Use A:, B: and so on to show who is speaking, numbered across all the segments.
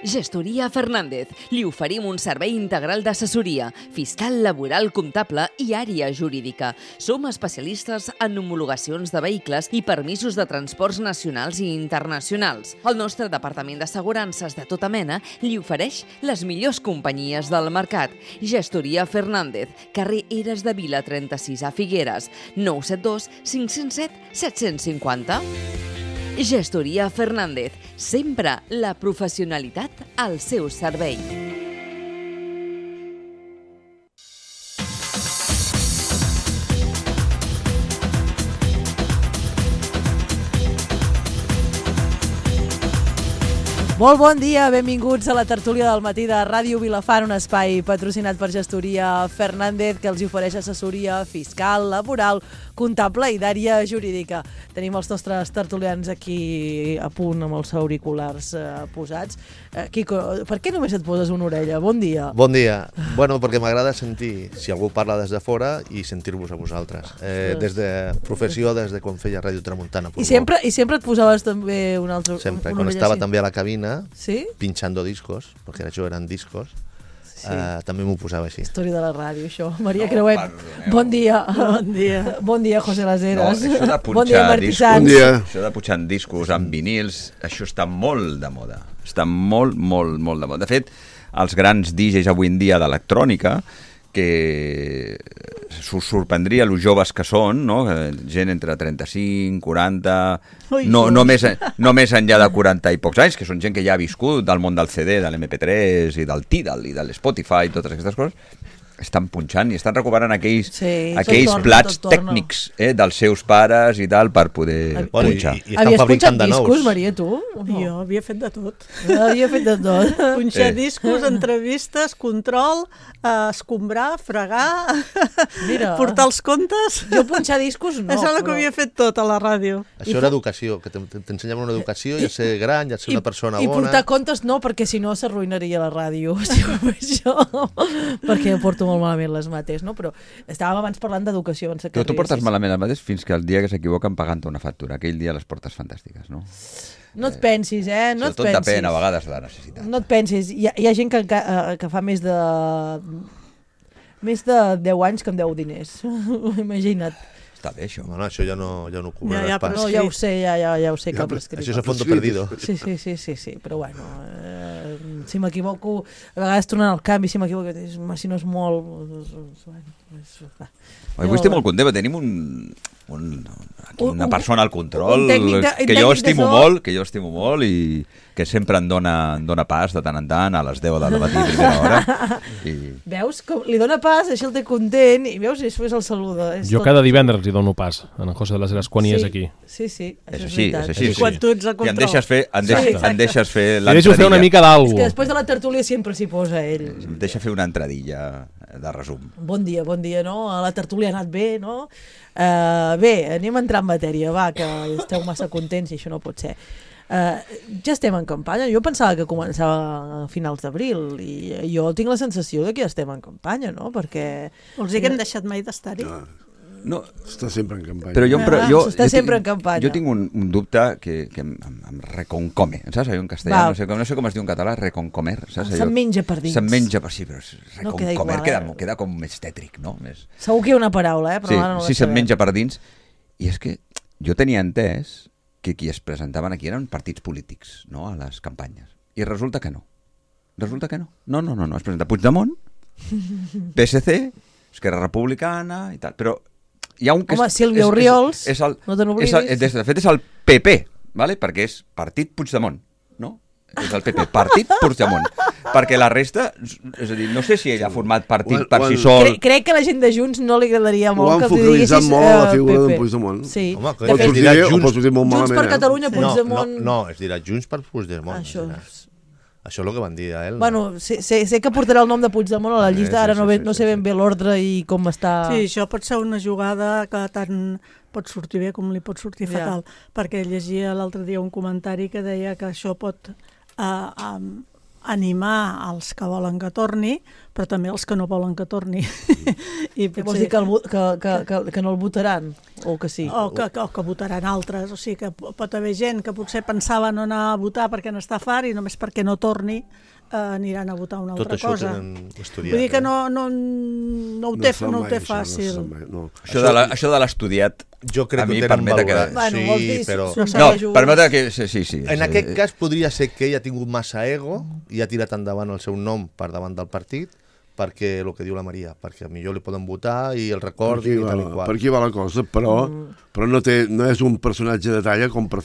A: Gestoria Fernández. Li oferim un servei integral d'assessoria, fiscal, laboral, comptable i àrea jurídica. Som especialistes en homologacions de vehicles i permisos de transports nacionals i internacionals. El nostre departament d'assegurances de tota mena li ofereix les millors companyies del mercat. Gestoria Fernández, carrer Eres de Vila 36 a Figueres, 972 507 750. Gestoria Fernández, sempre la professionalitat al seu servei.
B: Molt bon dia, benvinguts a la tertúlia del matí de Ràdio Vilafant, un espai patrocinat per Gestoria Fernández que els ofereix assessoria fiscal, laboral, comptable i d'àrea jurídica. Tenim els nostres tertulians aquí a punt amb els auriculars posats. Quico, per què només et poses una orella? Bon dia.
C: Bon dia. Bueno, perquè m'agrada sentir, si algú parla des de fora, i sentir-vos a vosaltres. Des de professió, des de quan feia Ràdio Tramuntana.
B: I sempre et posaves també una altra
C: sempre,
B: una
C: quan
B: orella
C: estava
B: així?
C: també a la cabina,
B: ¿Sí?
C: pinchando discos, perquè això eren discos,
B: Sí.
C: també m'ho posava així.
B: Història de la ràdio, això. Maria Creuet, bon dia. Bon dia. Bon dia, José Las Heras.
D: No, això de
B: bon dia,
D: punxar
B: Martí
D: discos,
B: Sans.
E: Bon dia.
D: això de punxar discos amb vinils, això està molt de moda. Està molt, molt, molt de moda. De fet, els grans DJs avui en dia d'electrònica, que s'us sorprendria els joves que són, no? Gent entre 35, 40, no més enllà de 40 i pocs anys, que són gent que ja ha viscut del món del CD, de l'MP3 i del Tidal i de l'Spotify i totes aquestes coses, estan punxant i estan recuperant aquells plats tècnics dels seus pares i tal per poder punxar.
C: I estan fabricant de nous.
B: Havies punxat discos, Maria, tu?
F: Jo havia fet de tot.
B: Havia fet de tot.
F: Punxar discos, entrevistes, control, escombrar, fregar,
B: Mira.
F: portar els comptes.
B: Jo punxar discos no.
F: Això és el que havia fet tot a la ràdio.
C: Això era educació, que t'ensenyaven una educació i a ser gran, i a ser una persona
B: I
C: bona.
B: portar comptes no, perquè si no s'arruïnaria la ràdio. Si ho faig això, perquè porto molt malament les mates, no? Però estàvem abans parlant d'educació.
D: Tu portes malament les mates fins que el dia que s'equivoquen pagant una factura. Aquell dia les portes fantàstiques, no?
B: No et pensis, no et
D: tot
B: pensis.
D: depèn a vegades de la necessitat.
B: No et pensis. Hi ha gent que fa més de 10 anys que em deu diners. Imagina't.
D: Està bé, això.
C: No, això ja no ho cobraràs
F: Ja,
C: pas.
B: No, ja ho sé, ja ho sé que ha prescrit.
C: Això és a fondo perdido.
B: Sí, però bueno, si m'equivoco, a vegades tornant al canvi, si m'equivoco, si no és molt...
D: Avui estic molt content, tenim una persona al control que jo estimo molt i que sempre em dona pas de tant en tant a les 10 del matí, primera hora.
B: Veus? Com li dona pas, això el té content, i veus, i després el saluda.
G: Jo cada divendres li dono pas a en José de las Heras quan hi és aquí.
B: Sí,
D: És així.
F: I quan tu ets a control.
D: I em deixes fer l'entradilla.
G: Li deixo fer una mica
B: És
G: d'algú.
B: que després de la tertúlia sempre s'hi posa ell.
D: Em deixa fer una entradilla de resum.
B: Bon dia, no? La tertúlia ha anat bé, no? Bé, anem a entrar en matèria, va, que esteu massa contents i això no pot ser. Ja estem en campanya. Jo pensava que començava a finals d'abril i jo tinc la sensació de que ja estem en campanya, no? Perquè...
F: Vols dir que hem deixat mai d'estar-hi?
D: No,
E: Està sempre en campanya.
D: però jo
B: està sempre en campanya.
D: Jo tinc un dubte que em reconcome, saps? Allò en castellà, no sé com es diu en català, reconcomer, saps?
B: Se'n menja per dins.
D: Se'n menja per sí, però
B: No queda
D: reconcomer
B: igual,
D: queda com més tètric, no? Més...
B: Segur que hi ha una paraula, però ara no la
D: sí, se'n
B: sabem.
D: menja per dins. I és que jo tenia entès que qui es presentaven aquí eren partits polítics, no?, a les campanyes. I resulta que no. No. Es presenta Puigdemont, PSC, Esquerra Republicana i tal. Però hi ha un que...
B: Home, Sílvia Orriols, no te n'oblidis.
D: De fet, és el PP, ¿vale? Perquè és Partit Puigdemont, no? És el PP, Partit Puigdemont. Perquè la resta, és a dir, no sé si ell ha format partit per si sol.
B: Crec que a la gent de Junts no li agradaria
E: Ho
B: molt
E: han
B: que els diguessis
E: focalitzat molt a la figura
B: PP.
E: d'en Puigdemont.
B: Sí.
C: Home, que
B: De fet,
C: es dirà
E: Pots dir molt
B: Junts
E: malament,
B: per Catalunya, Puigdemont...
C: No, es dirà Junts per Puigdemont.
B: Això
C: és el que van dir a ell.
B: Bueno, sé que portarà el nom de Puigdemont a la llista, ara no sé ben bé l'ordre i com està...
F: Sí, això pot ser una jugada que tant pot sortir bé com li pot sortir fatal, perquè llegia l'altre dia un comentari que deia que això pot animar els que volen que torni, però també els que no volen que torni.
B: I vols dir que no el votaran? O que sí?
F: O que votaran altres. O sigui que pot haver gent que potser pensava no anar a votar perquè n'està fart i només perquè no torni aniran a votar una altra cosa.
C: Tot això ho tenen estudiat.
F: Vull dir que no ho té fàcil.
D: Això de l'estudiat
C: jo crec
D: a mi
C: que ho tenen
D: permet que...
C: valorat. Sí, però...
D: No, permet que... Sí.
C: En aquest cas podria ser que ell ha tingut massa ego i ha tirat endavant el seu nom per davant del partit, perquè el que diu la Maria, perquè millor li poden votar i el recordi i tal i qual.
E: Per aquí va la cosa, però no és un personatge de talla com per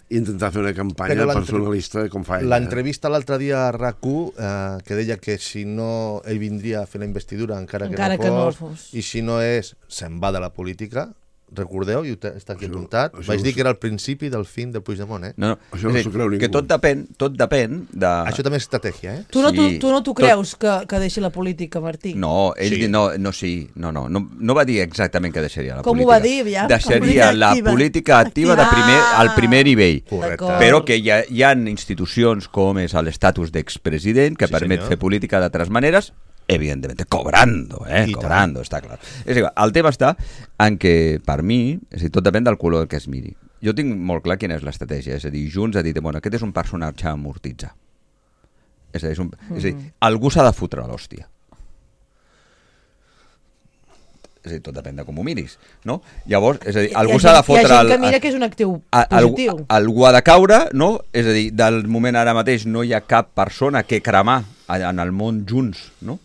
E: intentar fer una campanya personalista com fa ell.
C: L'entrevista l'altre dia a RAC1 que deia que si no ell vindria a fer la investidura encara que no fos, i si no és, se'n va de la política. Recordeu, i està aquí apuntat, vaig dir que era el principi del fin del Puigdemont, eh?
D: No.
E: Això no s'ho creu ningú.
D: Que tot depèn de...
C: Això també és estratègia, eh?
B: Tu no t'ho creus que deixi la política, Martí?
D: No, ell no va dir exactament que deixaria la política.
B: Com ho va dir, ja?
D: Deixaria la política activa al primer nivell.
C: Correcte.
D: Però que hi ha institucions com és l'estatus d'expresident que permet fer política d'altres maneres, evidentemente, cobrando, està clar. És igual, el tema està en que, per mi, tot depèn del color que es miri. Jo tinc molt clar quina és l'estratègia, és a dir, Junts ha dit, bueno, aquest és un personatge a amortitzar. És a dir, algú s'ha de fotre a l'hòstia. És a dir, tot depèn de com ho miris, no? Llavors, és a dir, algú s'ha de fotre...
B: Hi ha gent que mira que és un actiu positiu.
D: Algú ha de caure, no? És a dir, del moment ara mateix no hi ha cap persona que cremar en el món Junts, no?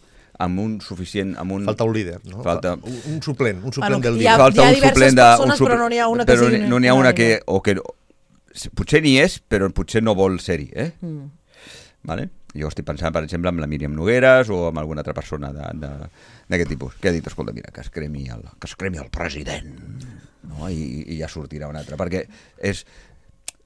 D: Amb un suficient...
C: Falta un líder, no?
D: Falta
C: un suplent del
B: líder. Hi ha diverses persones, però no n'hi ha una que sigui...
D: No n'hi ha una que... Potser n'hi és, però potser no vol ser-hi, Vale? Jo estic pensant, per exemple, amb la Míriam Nogueras o amb alguna altra persona d'aquest tipus, que ha dit, escolta, mira, que es cremi el president, no? I ja sortirà un altre, perquè és...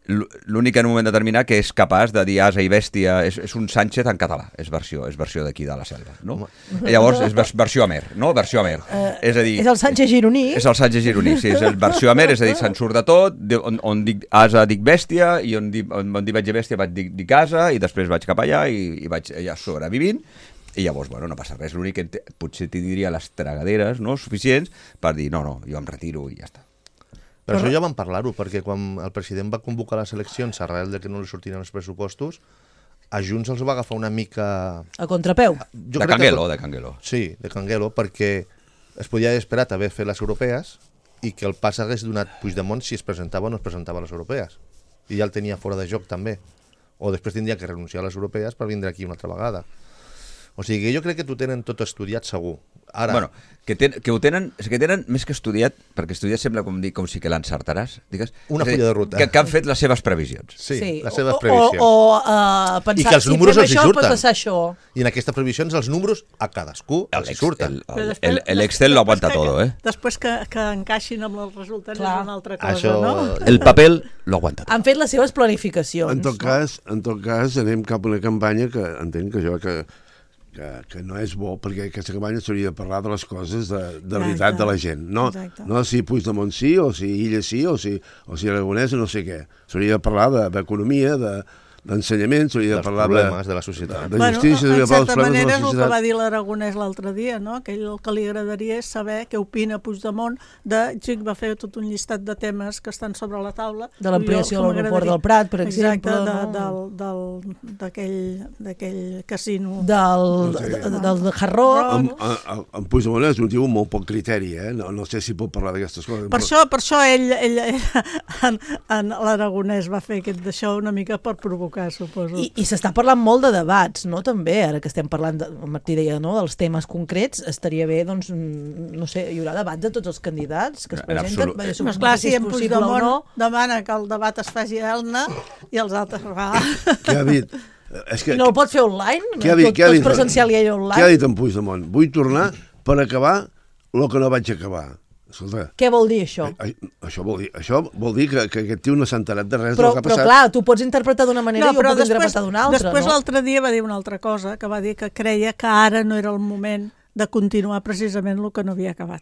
D: l'únic en un moment determinat que és capaç de dir asa i bèstia, és un Sánchez en català, és versió d'aquí de la selva, no? Llavors és versió Amer, no? Versió Amer. És a dir...
B: És el Sánchez gironí.
D: És el Sánchez gironí, sí, és el versió Amer, és a dir, se'n surt de tot, on dic asa dic bèstia, i on dic vaig a bèstia vaig dic asa, i després vaig cap allà i vaig allà sobrevivint, i llavors, bueno, no passa res, l'únic que potser t'hi diria les tragaderes, no?, suficients per dir, no, jo em retiro i ja està.
C: Però això ja vam parlar-ho, perquè quan el president va convocar les eleccions arrel de que no li sortiren els pressupostos, a Junts els va agafar una mica...
B: A contrapeu.
D: De Canguelo.
C: Sí, de Canguelo, perquè es podia haver esperat haver fet les europees i que el pas hagués donat Puigdemont si es presentava o no es presentava a les europees. I ja el tenia fora de joc, també. O després tindria que renunciar a les europees per vindre aquí una altra vegada. O sigui, jo crec que t'ho tenen tot estudiat segur. Ara...
D: Bueno, que ho tenen més que estudiat, perquè estudiat sembla com si que l'encertaràs, digues.
C: Una fulla de ruta.
D: Que han fet les seves previsions.
C: Sí, les seves previsions.
B: Pensar,
C: i que els números els hi surten.
B: Pot passar això.
C: I en aquestes previsions els números a cadascú els hi surten.
D: L'Excel lo aguanta todo,
F: Després que encaixin amb els resultats és una altra cosa,
C: això...
F: no?
D: El paper lo aguanta tot.
B: Han fet les seves planificacions.
E: En tot cas, anem cap a una campanya que entenc que no és bo, perquè aquesta campanya s'hauria de parlar de les coses de veritat de la gent, no si Puigdemont sí, o si Illa sí, o si Aragonès no sé què. S'hauria de parlar d'economia, d'ensenyament, s'hauria de parlar
C: problemes de la societat.
E: De justícia,
F: en certa manera és el que va dir l'Aragonès l'altre dia, no? Que ell el que li agradaria és saber què opina Puigdemont va fer tot un llistat de temes que estan sobre la taula.
B: De l'ampliació de l'aeroport del Prat, per exemple.
F: Exacte, d'aquell casino.
B: Del Jarró.
E: En Puigdemont és un tio amb molt poc criteri, no sé si pot parlar d'aquestes coses.
F: Per això ell l'Aragonès va fer aquest d'això una mica per provocar, suposo.
B: I s'està parlant molt de debats, no? També, ara que estem parlant, el Martí deia, no?, dels temes concrets, estaria bé, doncs, no sé, hi haurà debats de tots els candidats que es presenten.
F: No, esclar, si en Puigdemont demana que el debat es faci a Elna i els altres va.
E: Què ha dit?
B: I no el pot fer online?
E: Tot
B: presencial i ell online?
E: Què ha dit en Puigdemont? Vull tornar per acabar el que no vaig acabar. Escolta,
B: què vol dir això?
E: Això vol dir que aquest tio no s'ha enterat de res
B: del
E: que ha passat.
B: Però clar, tu pots interpretar d'una manera i ho pots interpretar d'una altra.
F: Després l'altre dia va dir una altra cosa, que va dir que creia que ara no era el moment de continuar precisament el que no havia acabat.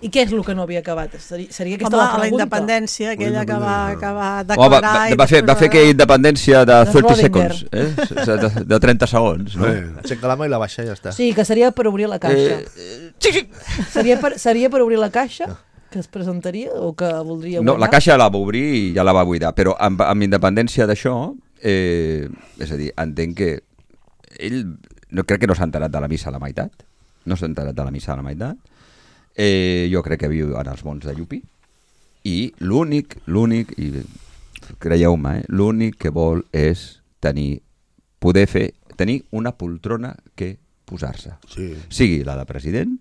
B: I què és el que no havia acabat? Seria aquesta
F: Home,
B: la pregunta.
F: la independència, aquella que va
D: Home,
F: declarar...
D: va fer aquella independència de 30
B: Schrödinger.
D: segons, de 30 segons, no?
C: Aixeca la mà i la baixa i ja està.
B: Sí, que seria per obrir la caixa.
D: Sí.
B: Seria per obrir la caixa que es presentaria o que voldria guanyar?
D: No, la caixa la va obrir i ja la va buidar, però amb independència d'això, és a dir, entenc que ell crec que no s'ha enterat de la missa a la meitat, jo crec que viu en els mons de Llupi, i l'únic, i creieu-me, l'únic que vol és tenir una poltrona que posar-se.
E: Sí.
D: Sigui la de president,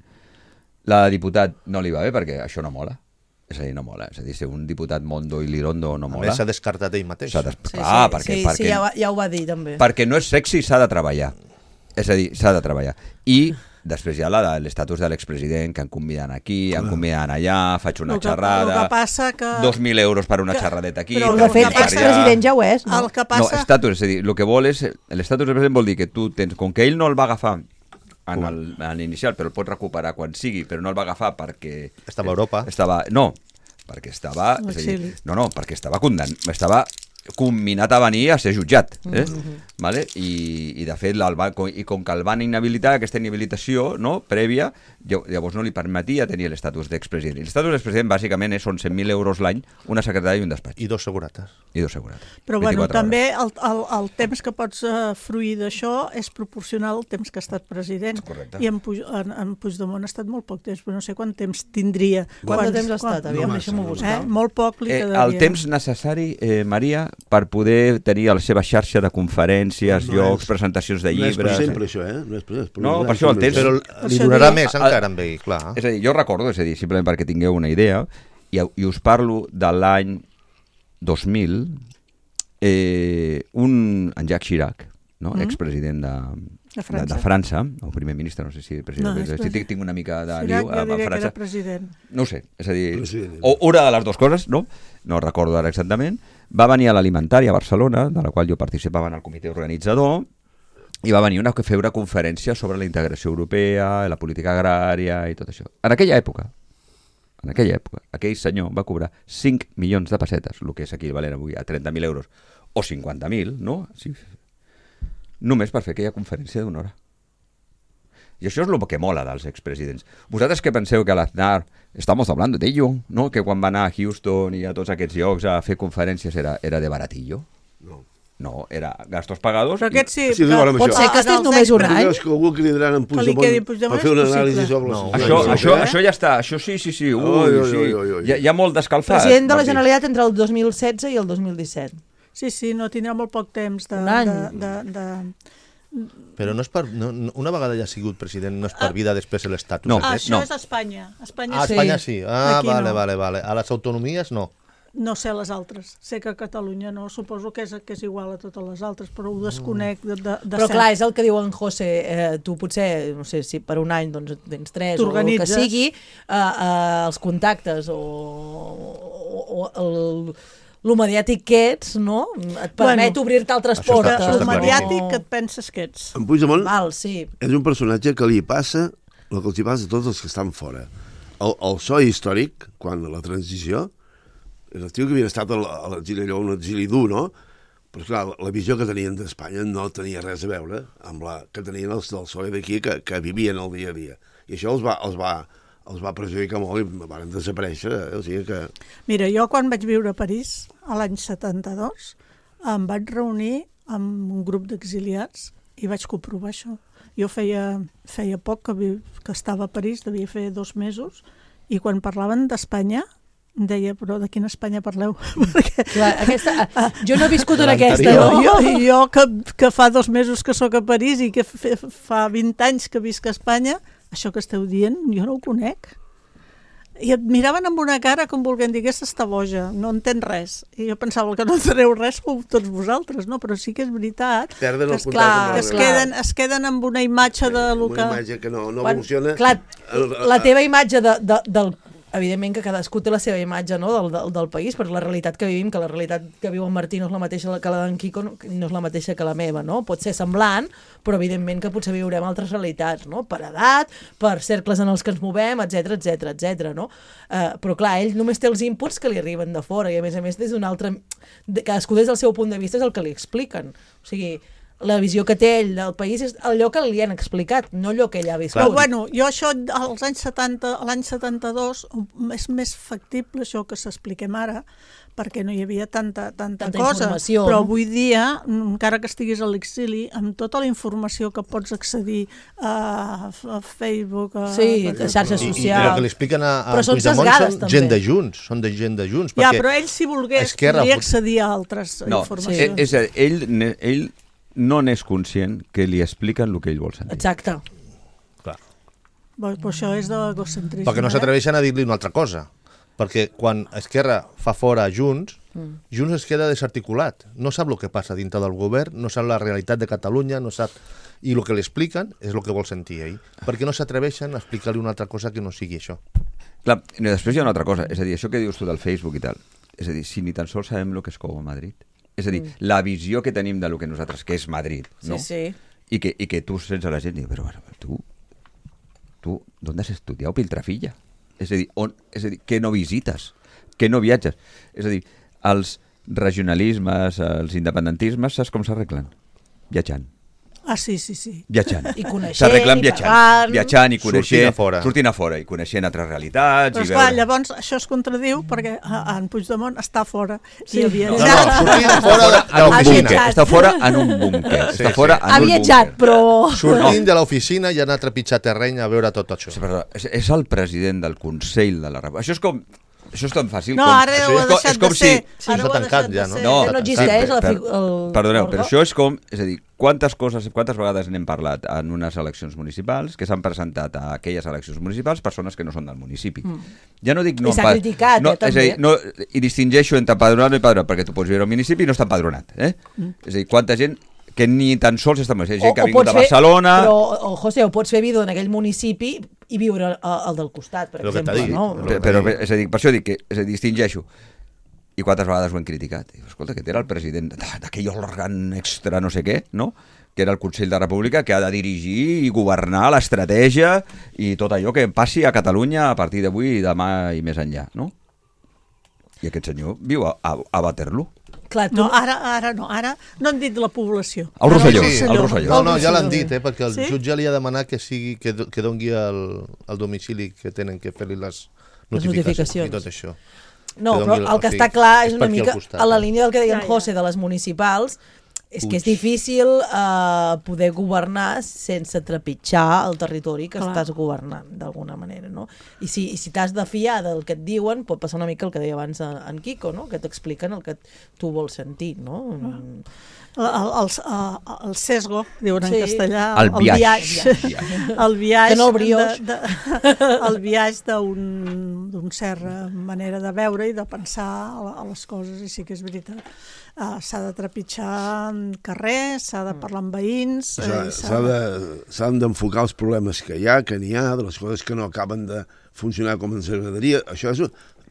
D: la de diputat no li va bé perquè això no mola. És a dir, no mola. És a dir, ser un diputat Mondo i Lirondo no mola.
C: A més, s'ha descartat ell mateix.
B: Sí, ja ho va dir també.
D: Perquè no és sexy, s'ha de treballar. És a dir, s'ha de treballar. I després hi ha l'estatus de l'expresident, que em conviden aquí, em conviden allà, faig una xerrada,
F: el que passa que...
D: 2.000 euros per una xerradeta aquí...
B: Però de fet, expresident ja ho és, no?
F: El que passa...
D: No, estatus, és a dir, el que vol és... L'estatus del president vol dir que tu tens... Com que ell no el va agafar en l'inicial, però el pot recuperar quan sigui, però no el va agafar perquè...
C: Estava a Europa.
D: No, perquè estava... perquè estava estava comminat a venir a ser jutjat. Vale? I de fet, com que el van inhabilitar, aquesta inhabilitació prèvia, llavors no li permetia tenir l'estatus d'expresident. I l'estatus d'expresident bàsicament són 100.000 euros l'any, una secretària i un despatx.
C: I dos segurates.
F: Però bueno, també el temps que pots fruir d'això és proporcional al temps que ha estat president.
D: Correcte.
F: I en Puigdemont ha estat molt poc temps, però no sé quant temps tindria.
B: Quant de temps ha estat? Aviam, deixa'm-ho buscar.
F: Molt poc li quedaria.
D: El temps necessari, Maria, per poder tenir la seva xarxa de conferències, llocs, presentacions de llibres...
E: No és per sempre, això, eh?
D: No, per això el temps...
C: Però li donarà més encara amb ell, clar.
D: És a dir, jo recordo, simplement perquè tingueu una idea, i us parlo de l'any 2000, en Jacques Chirac, expresident de França, o primer ministre, no sé si president, tinc una mica de liu a França. No ho sé, és a dir, o una de les dues coses, no recordo ara exactament, va venir a l'Alimentària a Barcelona, de la qual jo participava en el comitè organitzador, i va venir a fer una conferència sobre la integració europea, la política agrària i tot això. En aquella època, aquell senyor va cobrar 5 milions de pessetes, el que és equivalent avui a 30.000 euros, o 50.000, no? Sí. Només per fer aquella conferència d'una hora. I això és el que mola dels expresidents. Vosaltres que penseu que l'Aznar, estamos hablando de ello, no? Que quan va anar a Houston i a tots aquests llocs a fer conferències era de baratillo? No, era gastos pagados.
F: Però aquest sí,
B: pot ser que estigués només un any.
E: Que algú cridaran en Puigdemont per fer una anàlisi sobre
D: això ja està, això sí. Hi ha molt d'escalfat.
B: President de la Generalitat entre el 2016 i el 2017.
F: Sí, no tindrà molt poc temps
B: un any.
C: Però no és per... una vegada ja ha sigut president, no és per vida després de l'estatus.
D: No.
F: Això és a Espanya.
C: Espanya sí. Vale. A les autonomies no.
F: No sé les altres. Sé que a Catalunya no. Suposo que és igual a totes les altres, però ho desconec de
B: Però clar, és el que diu en José. Tu potser, no sé si per un any doncs tens 3 o el que sigui, els contactes o el mediàtic que ets, no? Et permet obrir-te altres portes.
F: El mediàtic que et penses que ets.
E: En Puigdemont
B: sí.
E: És un personatge que li passa el que els passa a tots els que estan fora. El so històric, quan la transició, és el tio que havia estat a l'exili, allò, un exili dur, no? Però clar, la visió que tenien d'Espanya no tenia res a veure amb la que tenien els del PSOE d'aquí, que vivien el dia a dia. I això els va perjudicar molt i van desaparèixer. O sigui que...
F: Mira, jo quan vaig viure a París, a l'any 72, em vaig reunir amb un grup d'exiliats i vaig comprovar això. Jo feia poc que estava a París, devia fer 2 mesos, i quan parlaven d'Espanya, em deia, però de quina Espanya parleu?
B: Clar, jo no he viscut en aquesta.
F: Jo que fa 2 mesos que sóc a París i que fa 20 anys que visc a Espanya, això que esteu dient, jo no ho conec. I et miraven amb una cara com volguent dir, aquesta està boja, no entén res. I jo pensava que no enteneu res tots vosaltres, no? Però sí que és veritat.
E: Perden el contacte.
F: Es queden amb una imatge de...
E: Una imatge que no evoluciona.
B: Clar, la teva imatge del evidentment que cadascú té la seva imatge, no, del país, perquè la realitat que vivim, que la realitat que viu en Martí no és la mateixa que la d'en Quico, no és la mateixa que la meva, no? Pot ser semblant, però evidentment que potser viurem altres realitats, no? Per edat, per cercles en els que ens movem, etc, no? Però clar, ell només té els inputs que li arriben de fora i a més des d'un altre... Cadascú des del seu punt de vista és el que li expliquen. O sigui, la visió que té ell del país és allò que li han explicat, no allò que ell ha viscut.
F: Però bueno, jo això als anys 70, l'any 72 és més factible això que s'expliquem ara, perquè no hi havia tanta cosa, però avui dia, encara que estiguis a l'exili, amb tota la informació que pots accedir a Facebook, a
B: xarxes socials...
C: I el que li expliquen a Puigdemont són gent de Junts,
F: Ja, però ell, si volgués, podria accedir a altres informacions.
D: És a dir, ell no n'és conscient que li expliquen el que ell vol sentir.
B: Exacte.
C: Clar.
F: Però això és d'egocentrisme.
C: Perquè no s'atreveixen a dir-li una altra cosa. Perquè quan Esquerra fa fora Junts, Junts es queda desarticulat. No sap el que passa dintre del govern, no sap la realitat de Catalunya, no sap... I el que li expliquen és el que vol sentir ell. Perquè no s'atreveixen a explicar-li una altra cosa que no sigui això.
D: Clar, després hi ha una altra cosa. És a dir, això que dius tu del Facebook i tal. És a dir, si ni tan sols sabem el que és com a Madrid. És a dir, la visió que tenim del que nosaltres, que és Madrid, no?
B: Sí.
D: I que tu sents a la gent i dius, però tu, ¿dónde has estudiado, Piltrafilla? És a dir, que no visites, que no viatges. És a dir, els regionalismes, els independentismes, saps com s'arreglen? Viatjant.
F: Ah, sí.
B: I
D: Viatjant.
B: coneixent,
D: s'arreglen viatjant i coneixent,
C: sortint
D: a fora i coneixent altres realitats.
F: Però esclar, llavors això es contradiu perquè en Puigdemont està fora.
B: Sí.
C: Sortint fora de l'oficina.
D: Està fora en un búnquer.
B: Ha viatjat, però...
C: Sortint de l'oficina i ha anat a trepitjar terreny a veure tot això.
D: És el president del Consell de la República. Això és tan fàcil
F: com... No, ara ho ha deixat de ser.
C: Ara ho ha deixat de ser.
B: No existeix.
D: Perdoneu, però això és com... És a dir, quantes vegades n'hem parlat en unes eleccions municipals que s'han presentat a aquelles eleccions municipals persones que no són del municipi. Ja no dic...
B: I s'ha criticat, també.
D: És a dir, i distingeixo entre empadronat i empadronat, perquè tu pots viure al municipi i no està empadronat. És a dir, quanta gent que ni tan sols està... Gent que ha vingut a Barcelona...
B: Però, José, ho pots fer vida en aquell municipi i viure al del costat, per exemple.
D: Però, és a dir, per això dic que distingeixo. I quantes vegades ho hem criticat. I, escolta, que era el president d'aquell òrgan extra no sé què, no? Que era el Consell de la República, que ha de dirigir i governar l'estratègia i tot allò que passi a Catalunya a partir d'avui, demà i més enllà, no? I aquest senyor viu a Waterloo.
F: Clar, no, ara no han dit la població.
D: El Rosselló.
C: No, ja l'han dit, perquè el jutge li ha demanat que dongui el domicili que tenen que fer-li les notificacions i tot això.
B: No, però el que està clar és una mica a la línia del que deia en José de les municipals, és que és difícil poder governar sense trepitjar el territori que estàs governant, d'alguna manera, no? I si t'has de fiar del que et diuen, pot passar una mica el que deia abans en Quico, no? Que t'expliquen el que tu vols sentir, no?
F: El sesgo, diuen en castellà,
D: el viatge.
F: El viatge,
B: que no el brioix.
F: El viatge d'un cert manera de veure i de pensar a les coses, i sí que és veritat. S'ha de trepitjar carrers, s'ha de parlar amb veïns...
E: S'han d'enfocar els problemes que hi ha, que n'hi ha, de les coses que no acaben de funcionar com ens agradaria.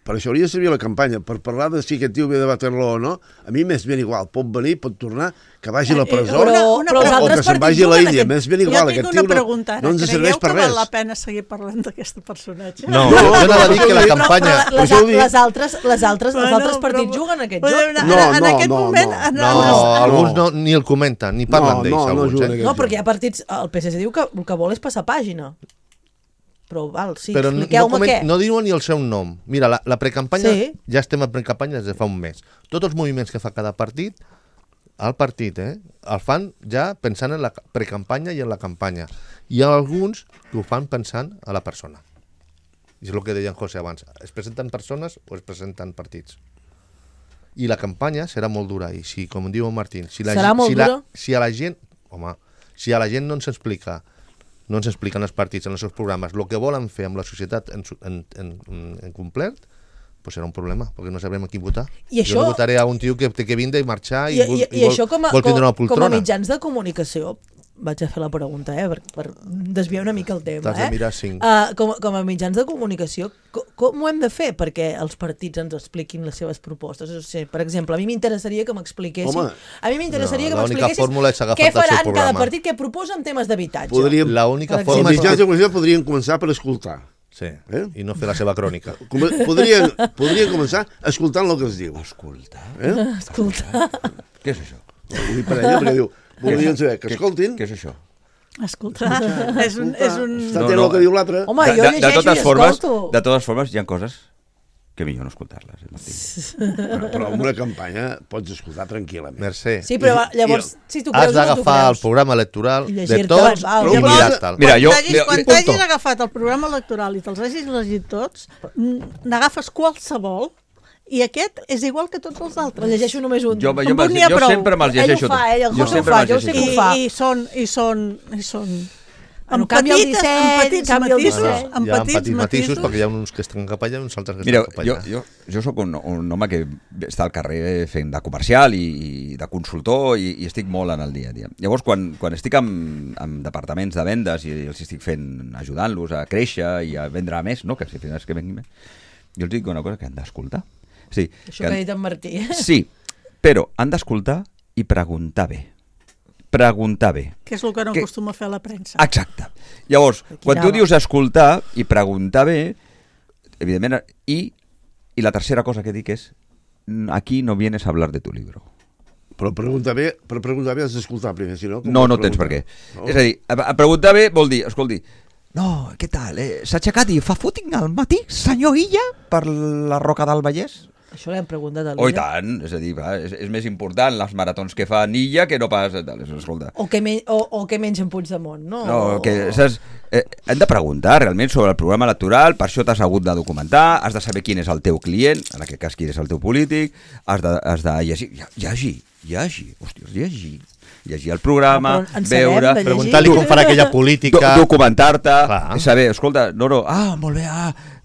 E: Per això hauria de servir la campanya, per parlar de si aquest tio ve de Waterloo o no. A mi m'és ben igual, pot venir, pot tornar, que vagi a la presó o que se'n vagi a l'Índia. M'és ben igual, aquest tio no ens serveix per res.
F: Creieu que val la pena seguir parlant d'aquest personatge?
C: No, jo anava a dir que la campanya...
B: Les altres partits juguen aquest joc.
F: En aquest moment...
C: No, alguns ni el comenten, ni parlen d'ells.
B: No, perquè hi ha partits... El PSC diu que el que vol és passar pàgina. Però expliqueu-me què.
C: No diuen ni el seu nom. Mira, la precampanya, ja estem en precampanya des de fa un mes. Tots els moviments que fa cada partit, el fan ja pensant en la precampanya i en la campanya. I alguns ho fan pensant a la persona. I és el que deia en José abans. Es presenten persones o es presenten partits. I la campanya serà molt dura. I si, com diu Martín, si a la gent no ens explica no ens expliquen els partits en els seus programes el que volen fer amb la societat en complet, pues serà un problema, perquè no sabrem a qui votar. Jo no votaré a un tio que té que vindre i marxar i vol tindre una poltrona.
B: Com a mitjans de comunicació, vaig a fer la pregunta, per desviar una mica el tema.
C: T'has de mirar 5.
B: Com a mitjans de comunicació, com ho hem de fer perquè els partits ens expliquin les seves propostes? O sigui, per exemple, a mi m'interessaria que m'expliquessin...
C: L'única fórmula és agafar
B: què
C: el seu
B: faran
C: programa.
B: cada partit, què proposa en temes d'habitatge.
C: L'única
E: Els
C: forma és
E: mitjans de comunicació podrien començar per escoltar.
C: Sí, i no fer la seva crònica.
E: Podrien començar escoltant el que es diu.
D: Escoltar?
B: Escoltar.
D: Què és això?
E: Ho dic per ella, perquè diu, voldrien saber que escoltin...
D: Què és això?
F: Escolta, és un...
E: Està atent el que diu l'altre.
B: Home, jo llegeixo i escolto.
D: De totes formes, hi ha coses que millor no escoltar-les.
E: Però en una campanya pots escoltar tranquil·lament.
C: Mercè.
B: Sí, però llavors, si tu
C: Has
B: creus o no tu
C: d'agafar el
B: creus.
C: programa electoral
B: I
C: de
B: llegir-te
C: tots
B: val.
C: i mirar-te'l.
D: Mira,
F: Quan t'hagis agafat el programa electoral i te'ls hagis llegit tots, n'agafes qualsevol i aquest és igual que tots els altres.
B: El llegeixo només un.
D: Jo
F: n'hi ha prou.
D: sempre me'ls llegeixo.
B: Ell ho fa, el
D: Jo
B: José ho
D: sempre
B: fa,
D: me'ls
B: jo sé que ho
D: llegeixo.
F: I són
B: Bueno, canvia el disseny, canvia el disseny.
C: Hi ha petits matisos perquè hi ha uns que estan cap allà i uns altres que
D: Mira,
C: estan cap allà.
D: jo sóc un home que està al carrer fent de comercial i de consultor i estic molt en el dia a dia. Llavors, quan estic en departaments de vendes i els estic ajudant-los a créixer i a vendre més, no? Que si fins que venguin més, jo els dic una cosa que han d'escoltar. Sí,
B: Això que ha dit en Martí.
D: Sí, però han d'escoltar i preguntar bé. Preguntar bé.
F: Que és el que no acostuma a fer la premsa.
D: Exacte. Llavors, quan tu dius escoltar i preguntar bé, evidentment, i la tercera cosa que dic és aquí no vienes a hablar de tu libro.
E: Però per preguntar bé has d'escoltar primer, si no...
D: No tens per què. No. És a dir, a preguntar bé vol dir, escolti, no, què tal, s'ha aixecat i fa footing al matí, senyor Illa, per la Roca del Vallès?
B: Això l'hem preguntat a
D: Oh, i
B: l'Illa.
D: tant, és a dir, és més important les maratons que fa Illa que no pas... Escolta.
B: O que mengen Puigdemont, no?
D: No, que saps, hem de preguntar realment sobre el programa electoral, per això t'has hagut de documentar, has de saber quin és el teu client, en aquest cas quin és el teu polític, has de llegir, llegir el programa, veure...
C: Preguntar-li com farà aquella política...
D: Documentar-te, saber, escolta, molt bé,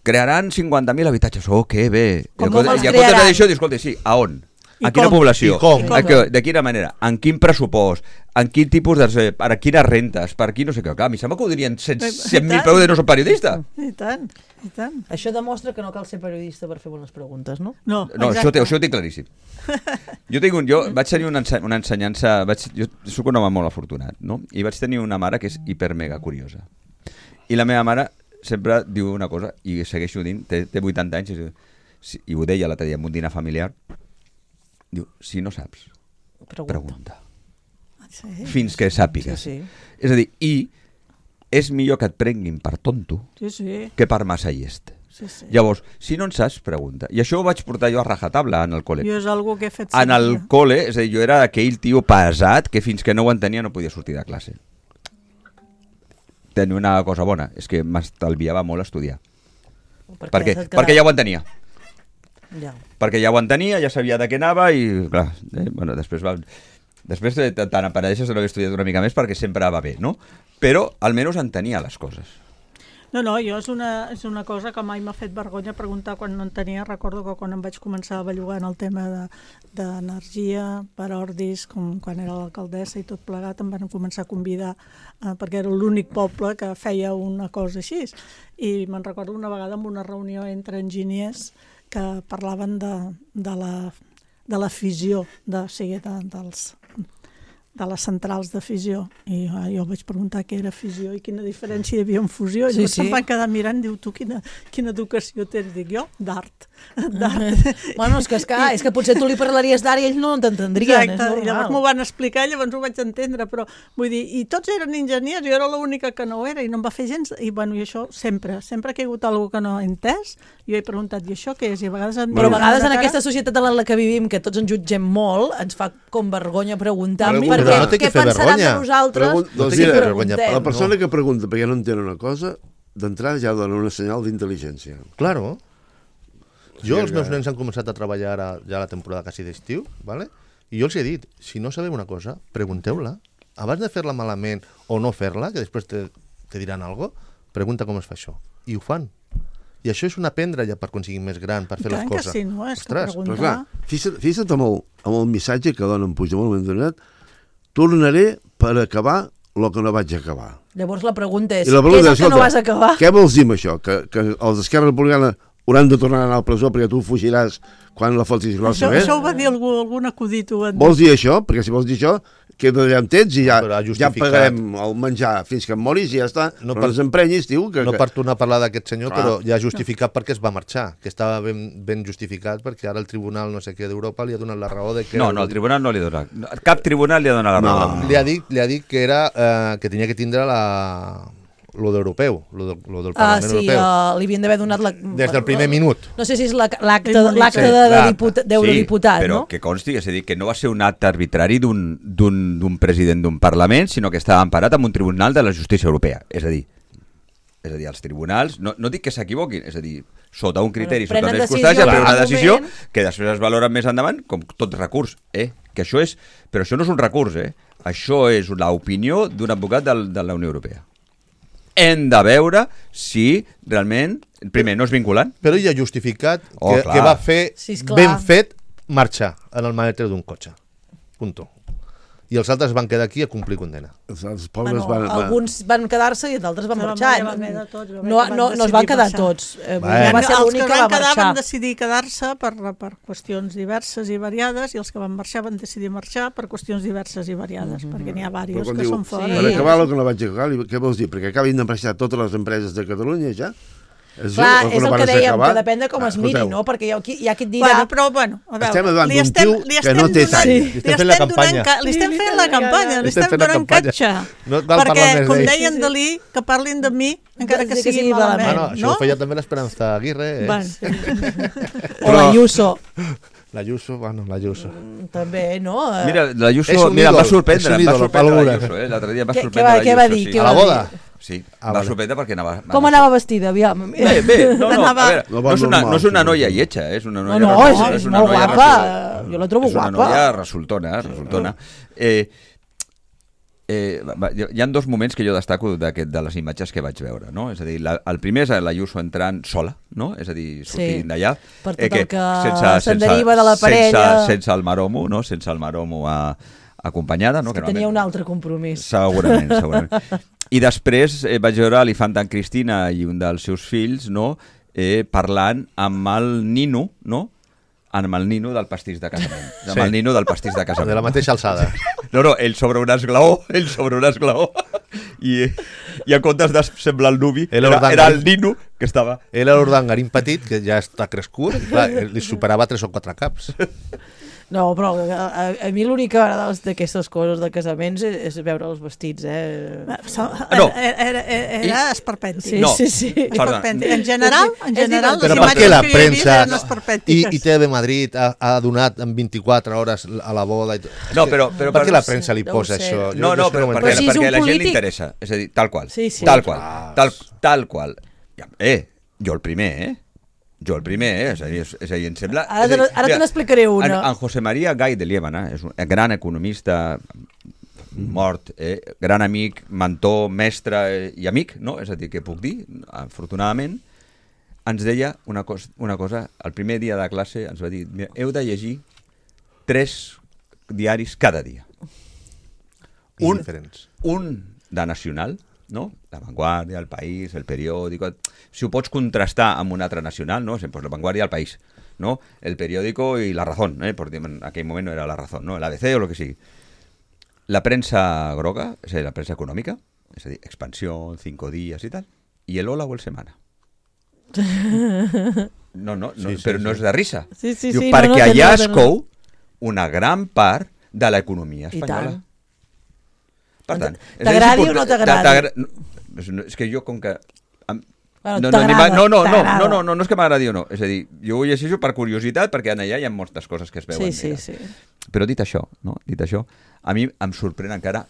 D: crearan 50.000 habitatges, que bé.
B: Com
D: I a compte d'això, escolta, sí, a on? A quina població? De quina manera? En quin pressupost? En quin tipus de... Per quines rentes? Per qui no sé què? A mi sembla que ho dirien 100.000 peu de no soc periodista.
F: I tant, i tant.
B: Això demostra que no cal ser periodista per fer bones preguntes, no?
F: No,
D: això ho tinc claríssim. Jo vaig tenir una ensenyança... Jo soc un home molt afortunat, no? I vaig tenir una mare que és hiper-mega curiosa. I la meva mare sempre diu una cosa, i segueixo dient, té 80 anys, i ho deia l'altre dia en un dinar familiar, diu, si no saps, pregunta.
F: Sí.
D: Fins que sàpigues.
B: Sí.
D: És a dir, i és millor que et prenguin per tonto que per massa llest.
F: Sí.
D: Llavors, si no en saps, pregunta. I això ho vaig portar jo a rajatabla en el col·le.
F: Jo és algo que he fet
D: en el col·le, és a dir, jo era aquell tio pesat que fins que no ho entenia no podia sortir de classe. Tenia una cosa bona, és que m'estalviava molt estudiar. Perquè ja ho entenia.
B: Ja.
D: Perquè ja ho entenia, ja sabia de què anava i, clar, després tant apareixes de no haver estudiat una mica més perquè sempre va bé, no? Però almenys entenia les coses.
F: No, jo és una cosa que mai m'ha fet vergonya preguntar quan no en tenia. Recordo que quan em vaig començar a bellugar en el tema d'energia per Ordis, quan era l'alcaldessa i tot plegat, em van començar a convidar perquè era l'únic poble que feia una cosa així. I me'n recordo una vegada en una reunió entre enginyers que parlaven de la fissió, de les centrals de fissió, i jo vaig preguntar què era fissió i quina diferència hi havia en fusió, i em van quedar mirant, diu, tu quina educació tens? Dic jo, d'art.
B: Bueno, és que potser tu li parlaries d'art i ells no t'entendrien.
F: Exacte, i llavors m'ho van explicar, llavors ho vaig entendre, però vull dir, i tots eren enginyers, jo era l'única que no ho era, i no em va fer gens, i bueno, i això sempre que hi ha hagut alguna que no he entès, jo he preguntat, i això què és? I a vegades
B: però a vegades en aquesta societat en la que vivim, que tots ens jutgem molt, ens fa com vergonya preguntar què pensaran de nosaltres si preguntem.
E: La persona que pregunta perquè no entén una cosa, d'entrada ja dona una senyal d'intel·ligència.
C: Claro. Jo, els meus nens han començat a treballar ja la temporada quasi d'estiu, ¿vale? I jo els he dit, si no sabeu una cosa, pregunteu-la. Abans de fer-la malament o no fer-la, que després te diran alguna cosa, pregunta com es fa això. I ho fan. I això és un aprendre ja per aconseguir més gran, per fer les coses.
F: Que sí, no? És
C: ostres,
E: però clar, fixa't amb el missatge que dona en Puigdemont, tornaré per acabar el que no vaig acabar.
B: Llavors la pregunta és,
E: I la
B: què
E: pregunta
B: és el que no vas acabar?
E: Què vols dir amb això? Que els d'Esquerra Republicana hauran de tornar a anar a la presó perquè tu fugiràs quan la fotis grossa,
F: Això ho va dir algun acudit.
E: Vols dir això? Perquè si vols dir això, queda allà amb temps i ja pagarem el menjar fins que em moris i ja està. No ens emprenyis, tio.
C: No per tornar a parlar d'aquest senyor, però ja justificat perquè es va marxar, que estava ben justificat perquè ara el tribunal no sé què d'Europa li ha donat la raó de que...
D: No, el tribunal no li ha donat. Cap tribunal li ha donat la raó.
C: Li ha dit que era que tenia que tindre lo d'europeu, lo del Parlament Europeu.
B: Sí, li havien d'haver donat...
C: Des del primer minut.
B: No sé si és l'acte d'eurodiputat,
D: però
B: no?
D: que consti, és a dir, que no va ser un acte arbitrari d'un president d'un Parlament, sinó que estava emparat amb un tribunal de la justícia europea. És a dir, els tribunals, no dic que s'equivoquin, és a dir, sota un criteri, sota una circumstància, prenen una decisió que després es valora més endavant com tot recurs. Que això és... Però això no és un recurs, això és l'opinió d'un advocat de la Unió Europea. Hem de veure si realment, primer, no és vinculant.
C: Però ell ha justificat que va fer ben fet marxar en el maleter d'un cotxe. Punto. I els altres van quedar aquí a complir condena.
B: Alguns van quedar-se i d'altres van marxar. No es van quedar tots. Va ser l'únic que va marxar. Els que van quedar
F: van decidir quedar-se per qüestions diverses i variades, i els que van marxar van decidir marxar per qüestions diverses i variades, perquè n'hi ha diversos que són fora.
E: Per acabar el que no vaig acabar, què vols dir? Perquè acabin de marxar totes les empreses de Catalunya ja?
B: Clar, és el que dèiem, que depèn de com es miri, no? Perquè hi ha qui et dirà...
F: Però, a veure...
E: Estem davant d'un tio que no té tall.
C: Li estem fent la campanya.
F: Li estem fent la campanya, li estem donant catxa. Perquè, com deien Dalí, que parlin de mi, encara que sigui malament.
C: Això ho feia també l'Esperanza Aguirre.
B: O l'Ayuso.
C: L'Ayuso, l'Ayuso.
B: També, no?
D: Mira, l'Ayuso em va sorprendre l'Ayuso, l'altre dia em va sorprendre l'Ayuso.
B: Què va dir?
C: A la boda?
D: Sí, va sorprendre perquè anava...
B: Com anava vestida, aviam?
D: Bé, no és una noia lletja, és una noia...
B: No, és molt guapa, jo la trobo guapa.
D: És una noia resultona. Hi ha dos moments que jo destaco de les imatges que vaig veure, no? És a dir, el primer és l'Ayuso entrant sola, no? És a dir, sortint d'allà.
B: Per tot el que se'n deriva de la parella.
D: Sense el maromo, no? Sense el maromo acompanyada, no?
B: Que tenia un altre compromís.
D: Segurament. I després vaig veure l'Infanta Cristina i un dels seus fills, no? Parlant amb el nino, no? Amb el nino del pastís de casament. Amb el nino del pastís de casament.
C: De la mateixa alçada.
D: No, ell sobre un esglaó, i en comptes de semblar el nuvi, era el nino que estava...
C: Ell era l'ordangarín petit, que ja està crescut, clar, li superava 3 o 4 caps.
B: No, però a mi l'única agrada d'aquestes coses de casaments és veure els vestits,
F: Era esperpèntic.
B: Sí.
F: En general,
C: però per què la premsa i TV Madrid ha donat en 24 hores a la boda?
D: No, però
C: per què la premsa li posa això?
D: No, però perquè a la gent li interessa. És a dir, tal qual. Tal qual. Jo el primer, és a dir, em sembla...
B: Ara te n'explicaré una.
D: En José María Gay de Liébana, és un gran economista mort, gran amic, mentor, mestre i amic, no? És a dir, què puc dir? Afortunadament, ens deia una cosa, el primer dia de classe ens va dir, heu de llegir 3 diaris cada dia. Un de nacional, no? La Vanguardia, El País, El Periódico... Si ho pots contrastar amb un altre nacional, no? Pues La Vanguardia, El País, ¿no? El Periódico y La Razón, porque en aquell moment no era La Razón, ¿no? El ABC o lo que sigui. La premsa groga, és a dir, la premsa econòmica, és a dir, Expansió, 5 dies i tal, i el Hola o el Semana. No, però no és de risa.
B: Sí,
D: perquè allà es cou una gran part de l'economia espanyola. Per tant,
B: t'agradi o no t'agradi?
D: És que jo, com que...
B: No
D: és que m'agradi o no. És a dir, jo ho llegeixo per curiositat, perquè allà hi ha moltes coses que es veuen.
B: Sí.
D: Però dit això, a mi em sorprèn encara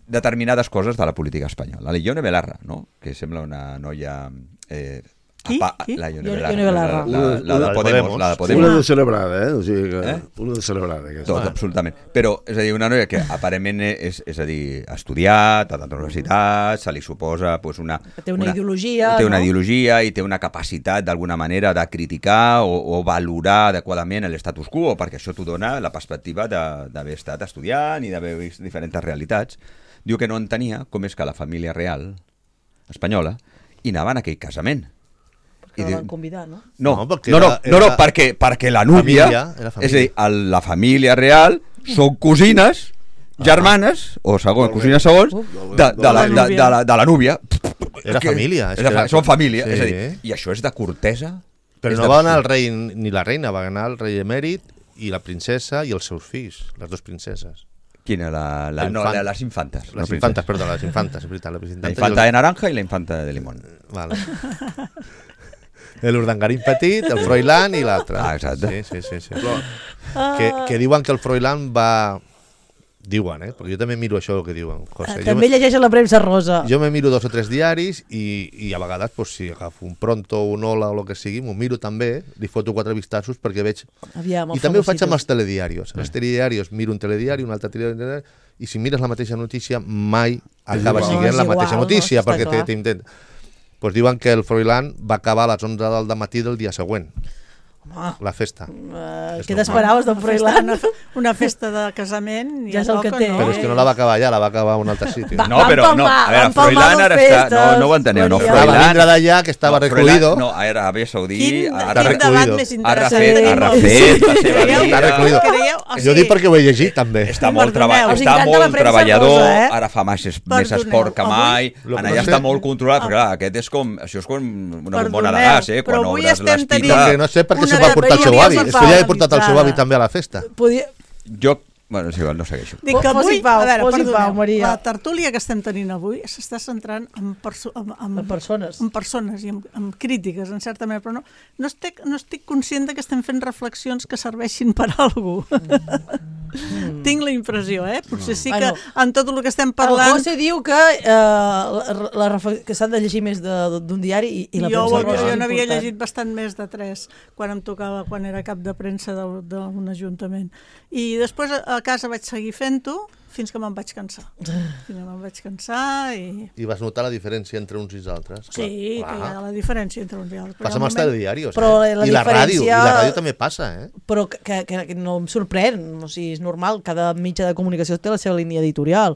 D: determinades coses de la política espanyola. La Ione Belarra, no? Que sembla una noia La
B: Ione Belarra.
D: La de Podemos. La de Podemos.
E: Una de celebrada, O sigui que... Una de celebrada, aquesta.
D: Tot, absolutament. Però, és a dir, una noia que aparentment és a dir, ha estudiat, ha anat a la universitat, se li suposa pues,
B: té una ideologia,
D: té una ideologia i té una capacitat d'alguna manera de criticar o valorar adequadament l'estatus quo, perquè això t'ho dona la perspectiva d'haver estat estudiant i d'haver vist diferents realitats. Diu que no entenia com és que la família real espanyola i anava en aquell casament.
B: Que la van convidar, no?
D: No, perquè la núvia, és a dir, la família real són cosines, germanes, o cosines segons, de la núvia.
C: Era família.
D: Són família, és a dir, i això és de cortesa.
C: Però no va anar el rei ni la reina, va anar el rei emèrit i la princesa i els seus fills, les dues princeses.
D: Quina? Les infantes.
C: Les infantes, perdó, les infantes, és veritat.
D: La infanta de naranja i la infanta de limón.
C: Vale. L'Urdangarín petit, el Froilán i l'altre.
D: Exacte.
C: Sí. Que diuen que el Froilán va... Diuen, perquè jo també miro això que diuen. José.
B: També llegeix a la premsa rosa.
C: Jo me miro 2 o 3 diaris i a vegades, pues, si agafo un Pronto, un Hola o el que sigui, m'ho miro també, li foto 4 vistassos perquè veig... I també ho faig amb els telediaris. Els telediaris, miro un telediari, un altre telediari, i si mires la mateixa notícia mai acaba sent la mateixa notícia, perquè t'intent... Pues diuen que el Froilán va acabar a les 11 del matí del dia següent. La festa.
B: Què t'esperaves del Froilán?
F: Una festa de casament
B: ja és el que té.
C: Però és que no la va acabar allà, la va acabar a un altre sitio.
D: No, però a veure, Froilán ara està... No ho enteneu, no,
C: Froilán... Va vindre d'allà, que estava recluido.
D: No, era a Aràbia Saudí...
F: Quin debat més interessant.
D: Ha refet la seva vida.
C: Està recluido. Jo dic perquè ho he llegit, també.
D: Està molt treballador, ara fa més esport que mai, allà està molt controlat, perquè aquest és com... Això és com una bombona de gas, quan obres l'espita...
C: No sé per què s'ho va portar el seu avi. Es podia haver portat el seu avi també a la festa.
D: Jo... Bueno, és igual, no segueixo.
F: Dic que avui,
B: Maria.
F: La tertúlia que estem tenint avui s'està centrant en persones i en crítiques, en certa manera, però no estic conscient que estem fent reflexions que serveixin per a algú. Tinc la impressió, potser sí que en tot el que estem parlant...
B: El José diu que s'han de llegir més d'un diari i la premsa rosa.
F: Jo n'havia llegit bastant més de 3 quan em tocava, quan era cap de premsa d'un ajuntament. I després a casa vaig seguir fent-ho fins que me'n vaig cansar. I
C: vas notar la diferència entre uns i els altres?
F: Sí, hi ha la diferència entre uns i altres.
C: Passa amb els telediaris,
B: I la
C: ràdio també passa,
B: Però que no em sorprèn, o sigui, és normal, cada mitjà de comunicació té la seva línia editorial.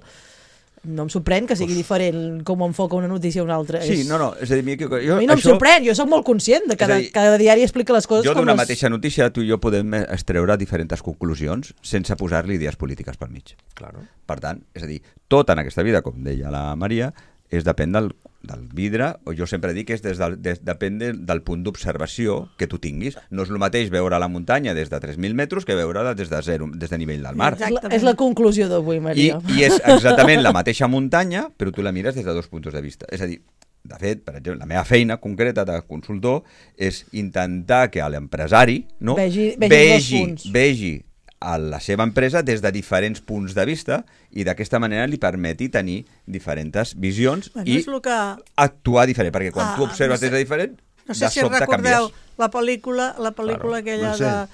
B: No em sorprèn que sigui diferent com enfoca una notícia a una altra.
D: Sí, no, és a dir,
B: a mi no em sorprèn, jo soc molt conscient de que cada diari explica les coses
D: com d'una mateixa notícia tu i jo podem extreure diferents conclusions sense posar-li idees polítiques pel mig.
C: Claro.
D: Per tant, és a dir, tot en aquesta vida, com deia la Maria, depèn del vidre, o jo sempre dic que depèn del punt d'observació que tu tinguis. No és el mateix veure la muntanya des de 3.000 metres que veure-la des de nivell del mar.
B: És la conclusió d'avui, Maria.
D: I és exactament la mateixa muntanya, però tu la mires des de 2 punts de vista. És a dir, de fet, per exemple, la meva feina concreta de consultor és intentar que l'empresari vegi a la seva empresa des de diferents punts de vista i d'aquesta manera li permeti tenir diferents visions i actuar diferent, perquè quan tu observes des de diferent,
F: no sé si recordeu la pel·lícula aquella de...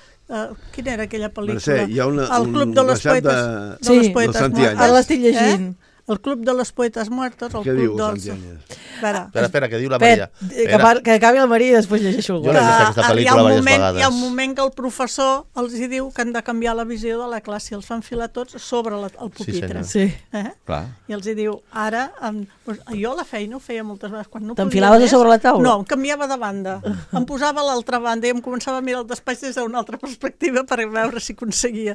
F: Quina era aquella pel·lícula? El Club de los Poetes.
B: Ara l'estic llegint.
F: El Club de los Poetes Muertos.
E: Què diu Santianes?
C: Espera, que diu la Maria.
B: Que acabi la Maria i després llegeixo.
C: Jo l'he vist aquesta pel·lícula diverses vegades.
F: Hi ha un moment que el professor els diu que han de canviar la visió de la classe i els fan filar tots sobre el pupitre.
B: Sí,
F: i els diu, ara... Jo la feina ho feia moltes vegades.
B: T'enfilaves a sobre la taula?
F: No, em canviava de banda. Em posava a l'altra banda i em començava a mirar el despatx des d'una altra perspectiva per veure si aconseguia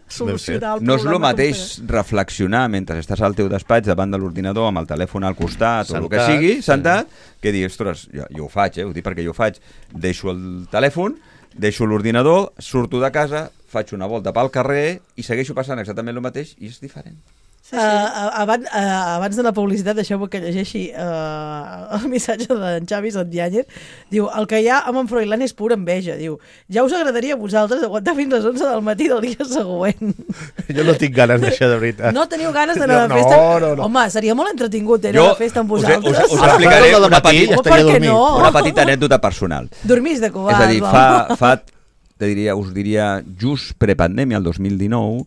F: solucionar el problema.
D: No és el mateix reflexionar mentre estàs al teu despatx davant de l'ordinador amb el telèfon al costat o el que sigui, sentat, que dir, ostres, jo ho faig, ho dic perquè jo ho faig, deixo el telèfon, deixo l'ordinador, surto de casa, faig una volta pel carrer i segueixo passant exactament el mateix i és diferent.
B: Abans de la publicitat, deixeu-me que llegeixi el missatge d'en Xavi Santiáñez. Diu, el que hi ha amb en Froilán és pura enveja. Diu, ja us agradaria a vosaltres aguantar fins les 11 del matí del dia següent.
C: Jo no tinc ganes d'això, de veritat.
B: No teniu ganes d'anar de festa?
C: No.
B: Home, seria molt entretingut anar de festa amb vosaltres.
D: Us explicaré una
B: no?
D: petita anècdota personal.
B: Dormís de covards.
D: És a dir, us diria, just prepandèmia, el 2019,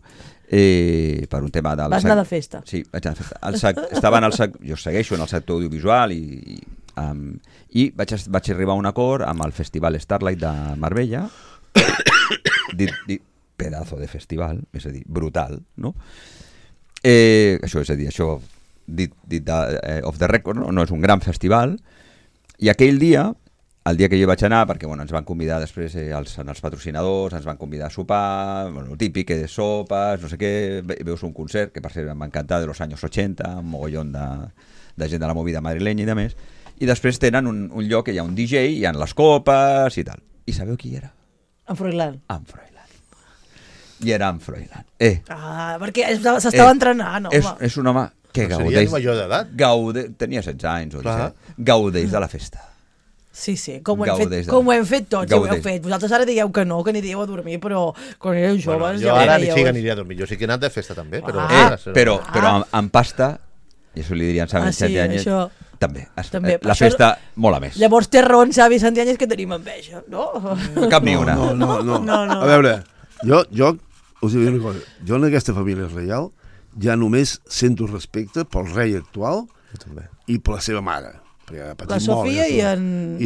D: per un tema del...
B: Vas anar de festa.
D: Sí, vaig anar de festa. Jo segueixo en el sector audiovisual i vaig arribar a un acord amb el Festival Starlight de Marbella, pedazo de festival, és a dir, brutal, no? Això dit off the record, no és un gran festival, i aquell dia, el dia que jo vaig anar, perquè ens van convidar després els patrocinadors, ens van convidar a sopar, el típic, sopes, no sé què, veus un concert, que per cert m'ha encantat, de los anys 80, un mogollón de gent de la movida madrilenya i de més, i després tenen un lloc que hi ha un DJ, hi ha les copes i tal. I sabeu qui era?
B: En Froilán.
D: En Froilán. I era en Froilán.
B: Perquè s'estava entrenant, home.
D: És un home que gaudeix...
C: Seria major d'edat?
D: Tenia 16 anys o 17. Gaudeix de la festa.
B: Sí, com ho hem fet tots, ho heu fet. Vosaltres ara digueu que no, que aniríeu a dormir, però quan éreu joves...
C: Jo ara sí que aniria a dormir. Jo sí que he anat de festa també, però...
D: Però amb pasta, i això li dirien Xavi Santiáñez, també. La festa mola més.
B: Llavors té raó en Xavi Santiáñez que tenim enveja, no?
D: Cap ni una.
E: No. A veure, jo us diré una cosa. Jo en aquesta família reial ja només sento respecte pel rei actual i per la seva mare.
B: La Sofia
E: i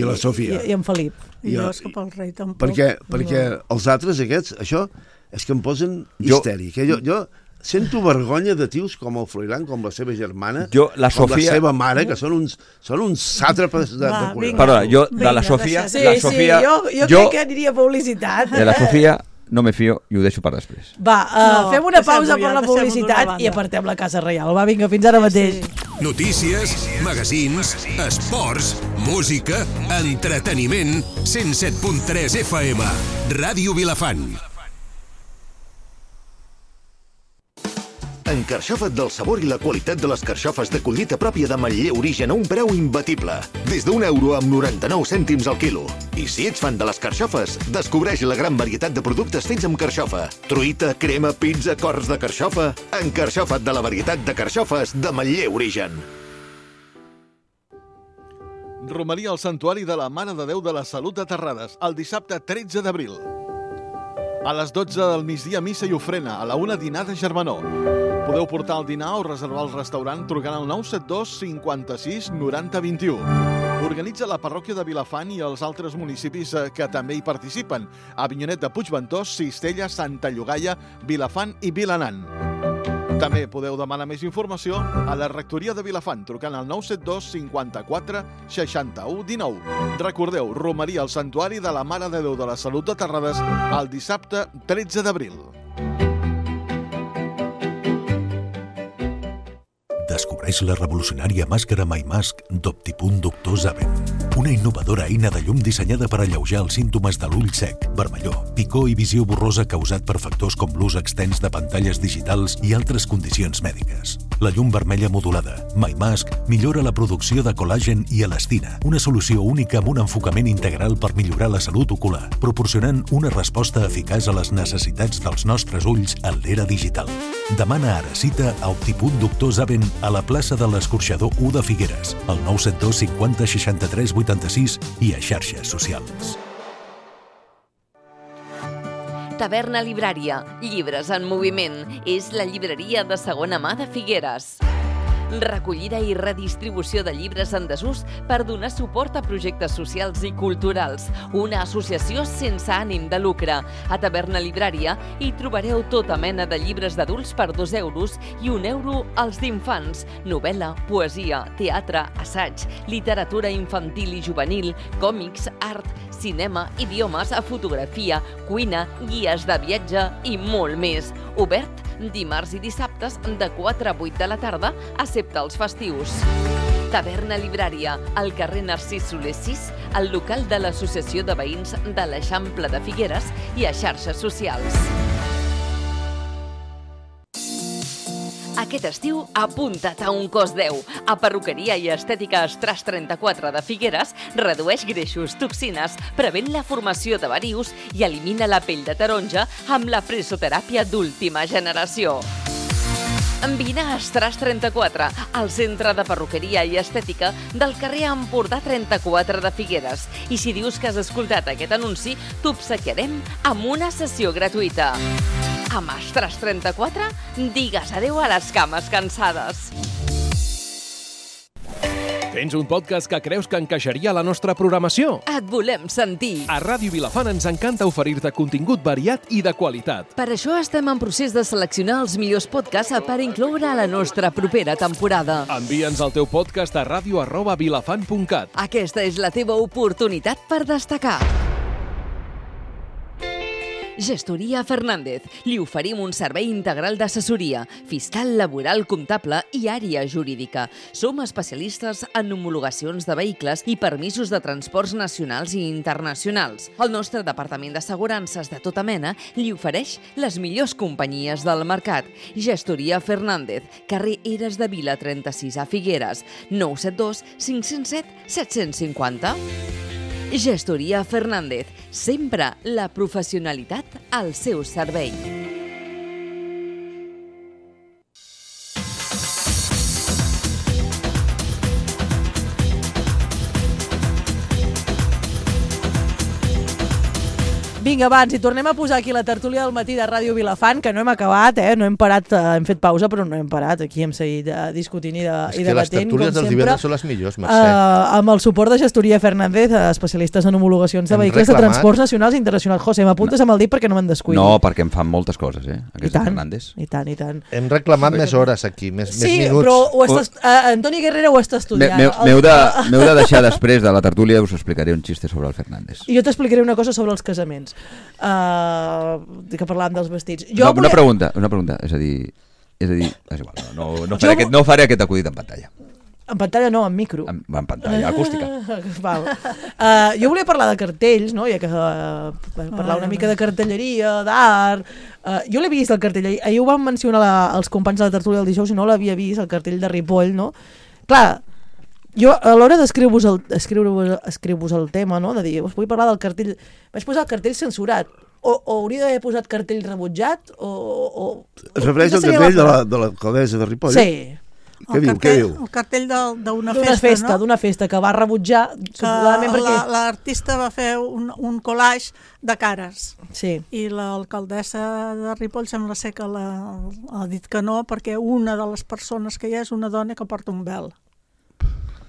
E: la Sofia
B: i en Felip.
F: I jo és que pel rei tampoc.
E: Perquè els altres aquests, això és que em posen histèric. Jo sento vergonya de tios com el Froilán, com la seva germana,
D: la
E: com la seva mare, que són uns sàtrapes de collons.
D: Perdona, jo de la Sofia...
B: Jo crec que aniria a publicitat.
D: De la Sofia no me fio i ho deixo per després.
B: Fem una pausa per la publicitat i apartem la Casa Reial. Va, vinga, fins ara mateix.
H: Notícies, magazins, esports, música, entreteniment, 107.3 FM, Ràdio Vilafant.
I: Encarxofa't del sabor i la qualitat de les carxofes de collita pròpia de Manlleu Origen a un preu imbatible. Des d'€1,99 al quilo. I si ets fan de les carxofes, descobreix la gran varietat de productes fets amb carxofa. Truita, crema, pizza, cors de carxofa... Encarxofa't de la varietat de carxofes de Manlleu Origen.
J: Romeria al Santuari de la Mare de Déu de la Salut de Terrades, el dissabte 13 d'abril. A les 12 del migdia, missa i ofrena, a la 1 dinar de germanor. Podeu portar el dinar o reservar el restaurant trucant al 972 56 90 21. Organitza la parròquia de Vilafant i els altres municipis que també hi participen: Avinyonet de Puigventós, Cistella, Santa Llogaia, Vilafant i Vilanant. També podeu demanar més informació a la rectoria de Vilafant trucant al 972 54 61 19. Recordeu, romeria al Santuari de la Mare de Déu de la Salut de Terrades el dissabte 13 d'abril.
H: Descobreix la revolucionària màscara MyMask d'Optipunt Doctor Zaven. Una innovadora eina de llum dissenyada per alleujar els símptomes de l'ull sec, vermellor, picor i visió borrosa causat per factors com l'ús extens de pantalles digitals i altres condicions mèdiques. La llum vermella modulada, MyMask, millora la producció de col·làgen i elastina, una solució única amb un enfocament integral per millorar la salut ocular, proporcionant una resposta eficaç a les necessitats dels nostres ulls en l'era digital. Demana ara cita a Optipunt Doctor Zaven a la plaça de l'Escorxador 1 de Figueres, al 972 50 63 86 i a xarxes socials.
A: Taverna Librària, llibres en moviment. És la llibreria de segona mà de Figueres. Recollida i redistribució de llibres en desús per donar suport a projectes socials i culturals. Una associació sense ànim de lucre. A Taverna Librària hi trobareu tota mena de llibres d'adults per €2 i €1 als d'infants. Novel·la, poesia, teatre, assaig, literatura infantil i juvenil, còmics, art, cinema, idiomes, fotografia, cuina, guies de viatge i molt més. Obert dimarts i dissabtes de 4 a 8 de la tarda, excepte els festius. Taverna Librària, al carrer Narcís Soler 6, al local de l'Associació de Veïns de l'Eixample de Figueres i a xarxes socials. A Aquest estiu, apunta't a un cos 10. A Perruqueria i Estètica Estras 34 de Figueres redueix greixos, toxines, prevent la formació de varius i elimina la pell de taronja amb la presoteràpia d'última generació. Vine a Estras 34, al centre de perruqueria i estètica del carrer Empordà 34 de Figueres. I si dius que has escoltat aquest anunci, t'obsequiarem amb una sessió gratuïta. Amb Estras 34, digues adeu a les cames cansades.
G: Tens un podcast que creus que encaixaria a la nostra programació?
A: Et volem sentir.
G: A Ràdio Vilafant ens encanta oferir-te contingut variat i de qualitat.
A: Per això estem en procés de seleccionar els millors podcasts per incloure a la nostra propera temporada.
G: Envia'ns el teu podcast a radio@vilafant.cat.
A: Aquesta és la teva oportunitat per destacar. Gestoria Fernández. Li oferim un servei integral d'assessoria, fiscal, laboral, comptable i àrea jurídica. Som especialistes en homologacions de vehicles i permisos de transports nacionals i internacionals. El nostre departament d'assegurances de tota mena li ofereix les millors companyies del mercat. Gestoria Fernández, carrer Eres de Vila 36 a Figueres, 972 507 750. Gestoria Fernández, sempre la professionalitat al seu servei.
B: Vinga, va, ens hi tornem a posar aquí la tertúlia del matí de Ràdio Vilafant, que no hem acabat, no hem parat, hem fet pausa, però no hem parat. Aquí hem seguit discutint i debatent,
C: és que les tertúlies dels divendres són les millors, Mercè.
B: Amb el suport de Gestoria Fernández, especialistes en homologacions de vehicles de transports nacionals i internacionals. José, m'apuntes amb el dit perquè no me'n descuidi.
D: No, perquè em fan moltes coses, aquesta Fernández.
B: I tant, i tant.
C: Hem reclamat més hores aquí, més minuts.
B: Sí, però Antoni Guerrero ho està estudiant.
D: M'heu de deixar després de la tertúlia, us explicaré un xiste sobre el Fernández.
B: I jo t'explicaré una cosa sobre els casaments. Que parlàvem dels vestits.
D: Una pregunta, és a dir, és igual, no faré aquest acudit en pantalla.
B: En pantalla no, en micro.
D: En pantalla acústica.
B: Val. Jo volia parlar de cartells, no? Ja que parlar una mica de cartelleria, d'art. Jo l'he vist, el cartell. Ahir ho van mencionar els companys de la tertúlia del dijous, i no l'havia vist, el cartell de Ripoll, no? Clar, jo a l'hora d'escriure-vos el tema, no? De dir, us vull parlar del cartell, vaig posar el cartell censurat, o hauria d'haver posat cartell rebutjat, o...
E: Es refereix al cartell de l'alcaldessa de Ripoll?
B: Sí.
E: Què diu?
F: El cartell d'una festa, no?
B: D'una festa que va rebutjar,
F: que l'artista va fer un collage de cares.
B: Sí.
F: I l'alcaldessa de Ripoll sembla ser que ha dit que no, perquè una de les persones que hi ha és una dona que porta un vel.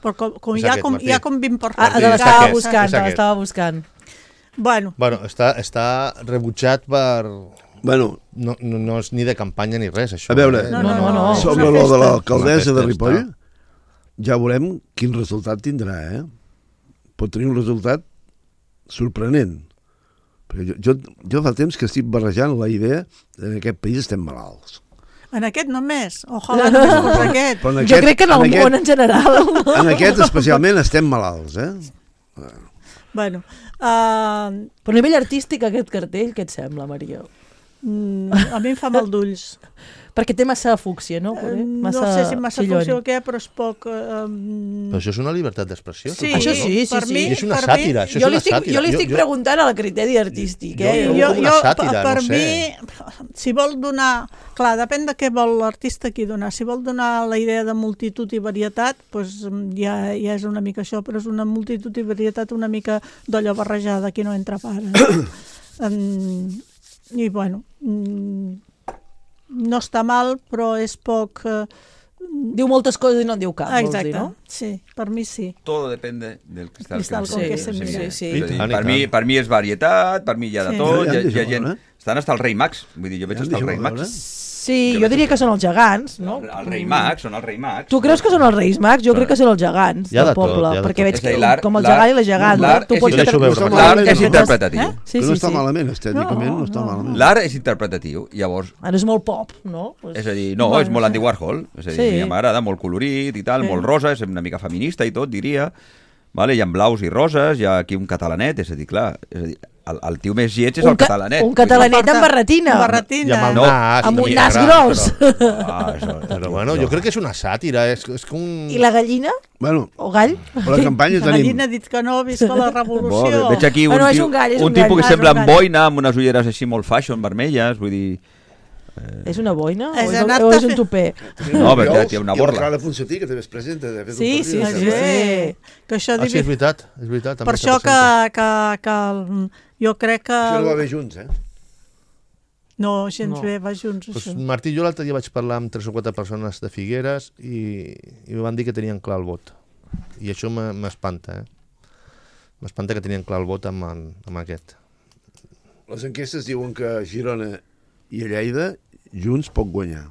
F: Però hi ha com 20 persones.
B: L'estava buscant.
F: Bueno,
C: està rebutjat per...
E: Bueno,
C: no és ni de campanya ni res, això.
E: A veure,
B: no.
E: Sobre lo de l'alcaldessa de Ripoll, ja veurem quin resultat tindrà, Pot tenir un resultat sorprenent. Perquè jo fa temps que estic barrejant la idea que en aquest país estem malalts.
F: En aquest només. Ojalà només fos aquest.
B: Jo crec que en el món en general.
E: En aquest especialment estem malalts,
F: Bueno.
B: Però a nivell artístic aquest cartell, què et sembla, Maria?
F: A mi em fa mal d'ulls.
B: Perquè té massa fúcsia, no?
F: No sé si massa fúcsia o què, però és poc...
C: Però això és una llibertat d'expressió.
F: Sí,
B: això sí.
C: I és una sàtira.
B: Jo li estic preguntant a la criteri artístic.
F: Per mi, si vol donar... Clar, depèn de què vol l'artista aquí donar. Si vol donar la idea de multitud i varietat, doncs ja és una mica això, però és una multitud i varietat una mica d'olla barrejada, aquí no entra pare. I bueno... No està mal, però és poc...
B: Diu moltes coses i no en diu cap, vols dir, no?
F: Sí, per mi sí.
D: Todo depende del cristal
F: que se mira.
D: Per mi és varietat, per mi hi ha de tot, hi ha gent... Estan hasta el rei Max, vull dir, jo veig hasta el rei Max.
B: Sí, jo diria que són els gegants, no?
D: El rei Max, són els rei Max.
B: Tu creus que són els reis Max? Jo crec que són els gegants del poble, perquè veig com el gegant i la gegant.
D: L'art és interpretatiu.
E: No està malament, estèticament no està malament.
D: L'art és interpretatiu, llavors...
B: Ara és molt pop, no?
D: És a dir, no, és molt Andy Warhol, és a dir, m'agrada, molt colorit i tal, molt rosa, és una mica feminista i tot, diria, vale? Hi ha blaus i roses, hi ha aquí un catalanet, és a dir, clar, el tio més lleig és el catalanet.
B: Un catalanet amb barretina.
C: I amb el nas.
B: Amb un nas gros.
C: Però bueno, jo crec que és una sàtira. És com un...
B: I la gallina?
E: Bueno,
B: o gall?
E: La campanya
F: la gallina ha dit que no, visca la revolució.
D: Veig aquí un tipus que sembla amb boina, amb unes ulleres així molt fashion, vermelles, vull dir...
B: És una boina?
F: O
B: és un tupé?
D: No, perquè té una borla.
E: I el Fonsatí, que també es presenta.
B: Sí.
F: Que això
C: sí, és veritat.
F: Per això que jo crec que...
E: Això no va bé junts,
F: No, gens bé, va junts,
C: pues
F: això.
C: Martí, jo l'altre dia vaig parlar amb 3 o 4 persones de Figueres i em van dir que tenien clar el vot. I això m'espanta, M'espanta que tenien clar el vot amb aquest.
E: Les enquestes diuen que Girona i a Lleida junts pot guanyar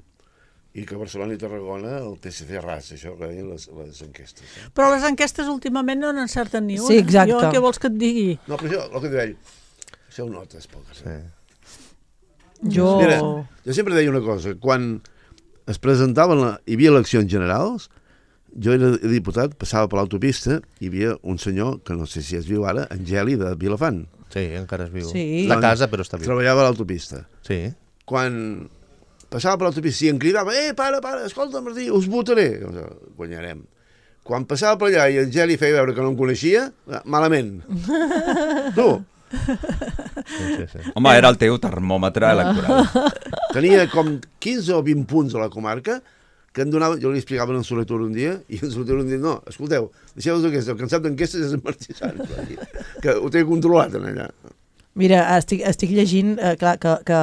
E: i que Barcelona i Tarragona el PSC ras, això que deien les enquestes.
F: Però les enquestes últimament no n'encerten ni una.
B: Sí, exacte.
F: Jo què vols que et digui?
E: No, però això, el que diu ell, això ho notes poc.
C: Sí.
E: Mira, jo sempre deia una cosa, quan es presentaven, hi havia eleccions generals, jo era diputat, passava per l'autopista, hi havia un senyor, que no sé si es viu ara, Angeli de Vilafant.
C: Sí, encara es viu.
B: Sí.
C: La casa, però està viu.
E: Treballava a l'autopista.
C: Sí.
E: Quan passava per l'autopista i em cridava, para, escolta, Martí, us votaré. Guanyarem. Quan passava per allà i en Geli feia veure que no em coneixia, malament. Tu.
C: Sí.
D: Home, era el teu termòmetre electoral.
E: Tenia com 15 o 20 punts a la comarca que em donava, jo li explicava en Soletur un dia, i en Soletur un dia, no, escolteu, deixeu-vos d'aquestes, el cansat d'enquestes és en Martí Sans, que ho té controlat en allà.
B: Mira, estic llegint que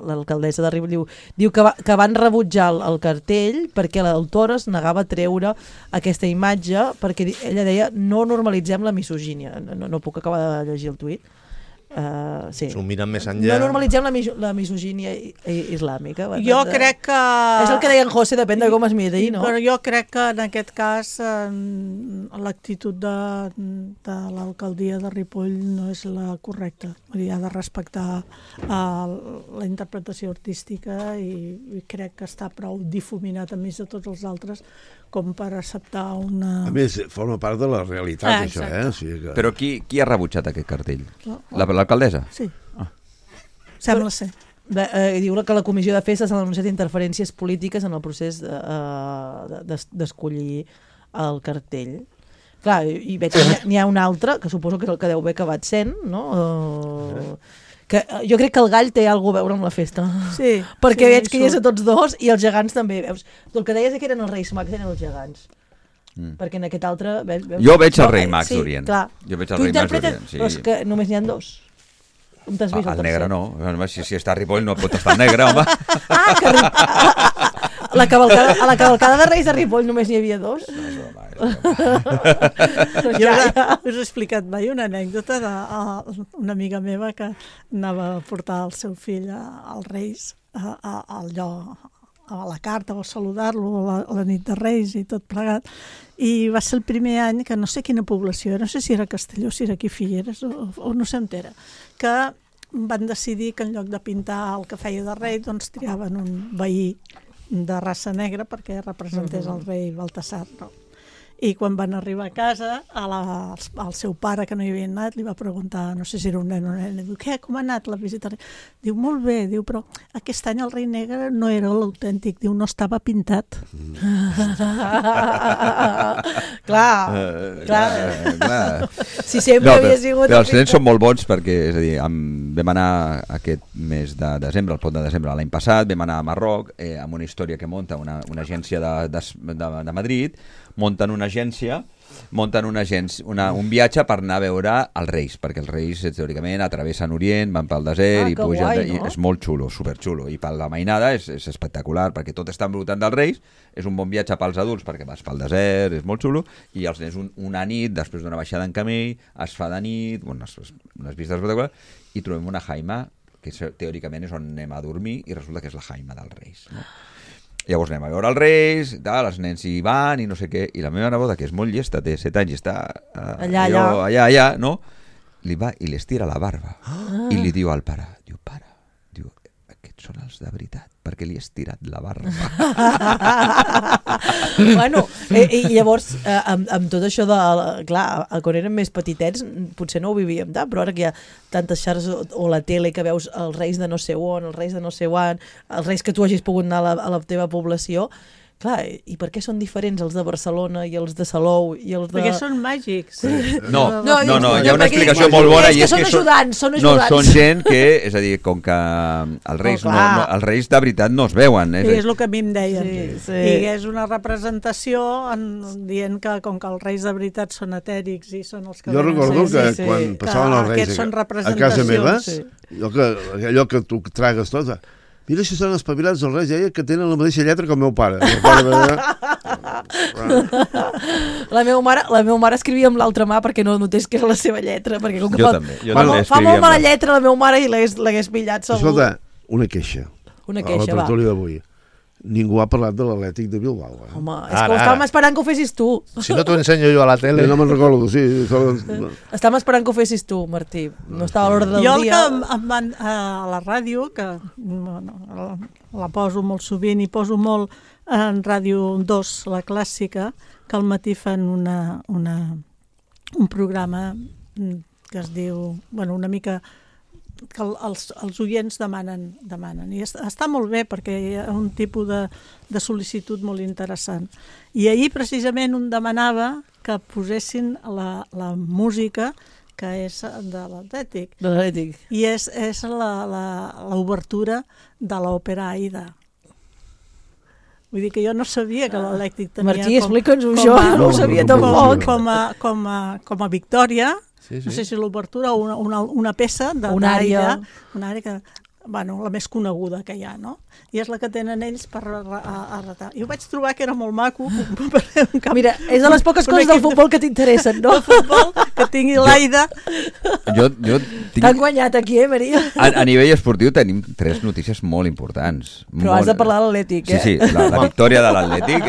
B: l'alcaldessa de Ripoll diu que van rebutjar el cartell perquè l'autora es negava a treure aquesta imatge perquè ella deia no normalitzem la misogínia. No puc acabar de llegir el tuit. Sí.
C: S'ho miren més enllà.
B: No normalitzem la misogínia islàmica.
F: Jo crec que...
B: És el que deia en José, depèn de com es miri, no?
F: Però jo crec que en aquest cas l'actitud de l'alcaldia de Ripoll no és la correcta. Ha de respectar la interpretació artística i crec que està prou difuminat enmig de tots els altres com per acceptar una...
E: A més, forma part de la realitat, això, O sigui que...
D: Però qui ha rebutjat aquest cartell? L'alcaldessa?
F: Sí. Sembla ser.
B: Diu que la comissió de festes ha denunciat interferències polítiques en el procés d'escollir el cartell. Clar, i veig que n'hi ha un altre, que suposo que és el que deu haver acabat sent, no? Que jo crec que el gall té alguna a veure amb la festa.
F: Sí.
B: Perquè veig que hi és a tots dos i els gegants també. Veus? Tu el que deies que eren els Reis Mags, eren els gegants. Perquè en aquest altre...
D: Jo veig el Rei Mags d'Orient.
B: Sí,
D: jo veig el Rei Mags d'Orient. Sí.
B: Però és que només n'hi ha 2. On t'has vist el
D: negre no. Si està a Ripoll no pot estar negre, home.
B: A la cavalcada de Reis de Ripoll només n'hi havia 2.
F: Jo us he explicat mai una anècdota d'una amiga meva que anava a portar el seu fill als Reis al lloc, a la carta o a saludar-lo a la nit de Reis i tot plegat, i va ser el primer any que no sé quina població era, no sé si era Castelló, si era aquí Figueres o no sé on era, que van decidir que en lloc de pintar el que feia de rei doncs triaven un veí de raça negra perquè representés el rei Baltasar, no? I quan van arribar a casa, al seu pare, que no hi havia anat, li va preguntar, no sé si era un nen o una nena, diu, què, com ha anat la visita? Diu, molt bé, diu, però aquest any el rei negre no era l'autèntic, diu, no estava pintat.
B: Clar. Si sempre havia sigut...
D: Però els nens són molt bons perquè, és a dir, vam anar aquest mes de desembre, el pont de desembre, l'any passat, vam anar a Marroc amb una història que munta una agència de Madrid, munten un viatge per anar a veure els Reis, perquè els Reis teòricament atravessen Orient, van pel desert i pugen, guai, no? I és molt xulo, superxulo, i per la mainada és espectacular, perquè tot està envoltant dels Reis, és un bon viatge pels adults perquè vas pel desert, és molt xulo, i els nens una nit, després d'una baixada en camell, es fa de nit, unes vistes espectaculars, i trobem una jaima que teòricament és on anem a dormir i resulta que és la jaima dels Reis, no? Llavors anem a veure els Reis, els nens hi van i no sé què, i la meva neboda, que és molt llesta, té 7 anys i està allà, no? Li va i li estira la barba i li diu al pare, diu, aquests són els de veritat, perquè li he estirat la barba.
B: Bueno, i llavors, amb tot això de... Clar, quan érem més petitets potser no ho vivíem tant, però ara que hi ha tantes xarxes o la tele que veus els reis de no sé on, els reis de no sé on, els reis que tu hagis pogut anar a la teva població, clar, i per què són diferents els de Barcelona i els de Salou i els de...
F: Perquè són màgics.
D: No, hi ha una explicació molt bona.
B: És que són ajudants, són ajudants.
D: No, són gent que, és a dir, com que els reis de veritat no es veuen.
F: Sí, és el que a mi em deien.
B: Sí.
F: I és una representació dient que com que els reis de veritat són etèrics i són els que...
E: Jo recordo que quan passaven els reis a casa meva, allò que tu tragues tot... Mira si són espavilats els reis, que tenen la mateixa lletra que el meu pare.
B: La meva mare escrivia amb l'altra mà perquè no notés que era la seva lletra. Perquè com que
D: jo també
B: fa molt mala lletra la meva mare i l'hagués pillat segur.
E: Escolta, una queixa. A la tertúlia d'avui. Ningú ha parlat de l'Atlètic de Bilbao.
B: Home, és que estàvem esperant que ho fessis tu.
C: Si no t'ho ensenyo jo a la tele.
E: No me'n recordo, sí.
B: Estàvem esperant que ho fessis tu, Martí. No estava a l'ordre del dia.
F: Jo a la ràdio, que la poso molt sovint i poso molt en Ràdio 2, la clàssica, que al matí fan un programa que es diu, una mica... que els oients demanen. I està molt bé perquè hi ha un tipus de sol·licitud molt interessant. I ahir precisament un demanava que posessin la música que és de l'Atlètic. I és l'obertura de l'òpera Aida. Vull dir que jo no sabia que l'Atlètic tenia...
B: Martí, explica'ns-ho, jo no ho sabia tampoc.
F: Com a victòria. Sí. No sé si l'obertura o una peça
B: una àrea
F: que, la més coneguda que hi ha, no? I és la que tenen ells per retar. Jo vaig trobar que era molt maco.
B: Mira, és de les poques coses del futbol que t'interessen, no?
F: El futbol, que tingui l'Aida.
B: T'han guanyat aquí, Maria?
D: A nivell esportiu tenim 3 notícies molt importants.
B: Però has de parlar de l'Atlètic,
D: Sí, la victòria de l'Atlètic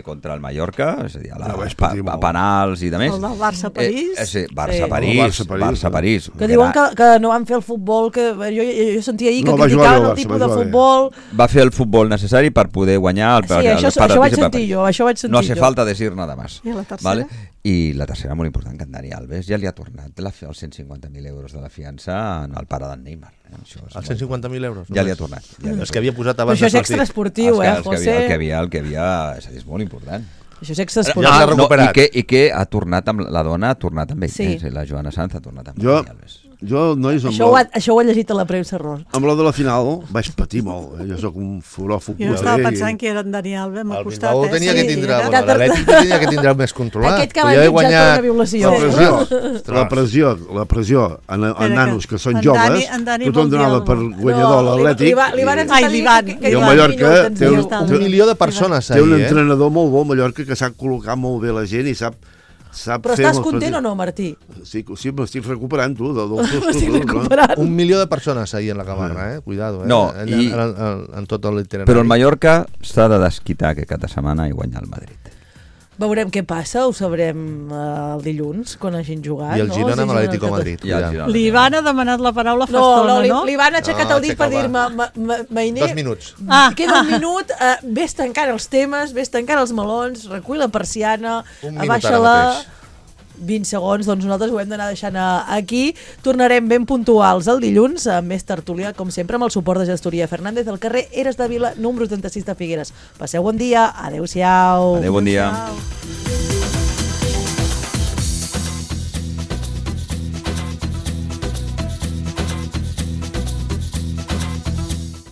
D: contra el Mallorca, és a dir, a penals i de més.
F: El del Barça-París.
D: Sí, Barça-París.
B: Que diuen que no van fer el futbol, que jo sentia ahir que criticaven el tipus de futbol.
D: Va fer el futbol necessari per poder guanyar el
B: això vaig sentir jo.
D: No hace falta decir nada más.
F: I la tercera?
D: I la tercera, molt important, que en Dani Alves ja li ha tornat els 150.000 euros de la fiança al pare d'en Neymar.
C: Els 150.000 euros?
D: Ja li ha tornat.
C: Els que havia posat abans
B: del partit. Però això és extraesportiu, José?
D: El que havia, és molt important.
B: Això és extraesportiu.
D: I que ha tornat amb la dona, ha tornat amb ell. Sí. La Joana Sanz ha tornat amb Dani Alves.
B: Això ho he llegit a la premsa, Ros.
E: Amb la de la final vaig patir molt. Jo soc un furó futboler.
F: Jo estava pensant que era en Dani Alves, m'ha costat.
C: El Bilbao tenia que tindre, l'Atlètic tenia que tindre més controlat.
B: Aquest que va mitjar per una violació.
E: La pressió en nanos que són joves, tothom donava per guanyador l'Atlètic. I el Mallorca té
C: un milió de persones
E: ahí. Té un entrenador molt bo, Mallorca, que sap col·locar molt bé la gent i sap...
B: Però estàs content o no, Martí?
E: Sí, m'estic recuperant, tu.
C: Un milió de persones ahir en la Camarra, cuidado, en tot l'itinerari.
D: Però el Mallorca s'ha de desquitar aquest cap de setmana i guanyar el Madrid.
B: Veurem què passa, ho sabrem el dilluns, quan hagin jugat.
C: I el Girona amb l'Atlético Madrid.
F: L'Ivan ha demanat la paraula fa estona, no?
B: L'Ivan ha aixecat el dit per dir-me, Mainer...
C: 2 minuts.
B: Queda un minut, ves tancant els temes, ves tancant els melons, recull la persiana, abaixa-la... 20 segons, doncs nosaltres ho hem d'anar deixant aquí. Tornarem ben puntuals el dilluns amb més tertúlia, com sempre, amb el suport de Gestoria Fernández del carrer Eres de Vila, número 36 de Figueres. Passeu bon dia, adeu-siau.
D: Adeu, bon dia.
F: Adeu.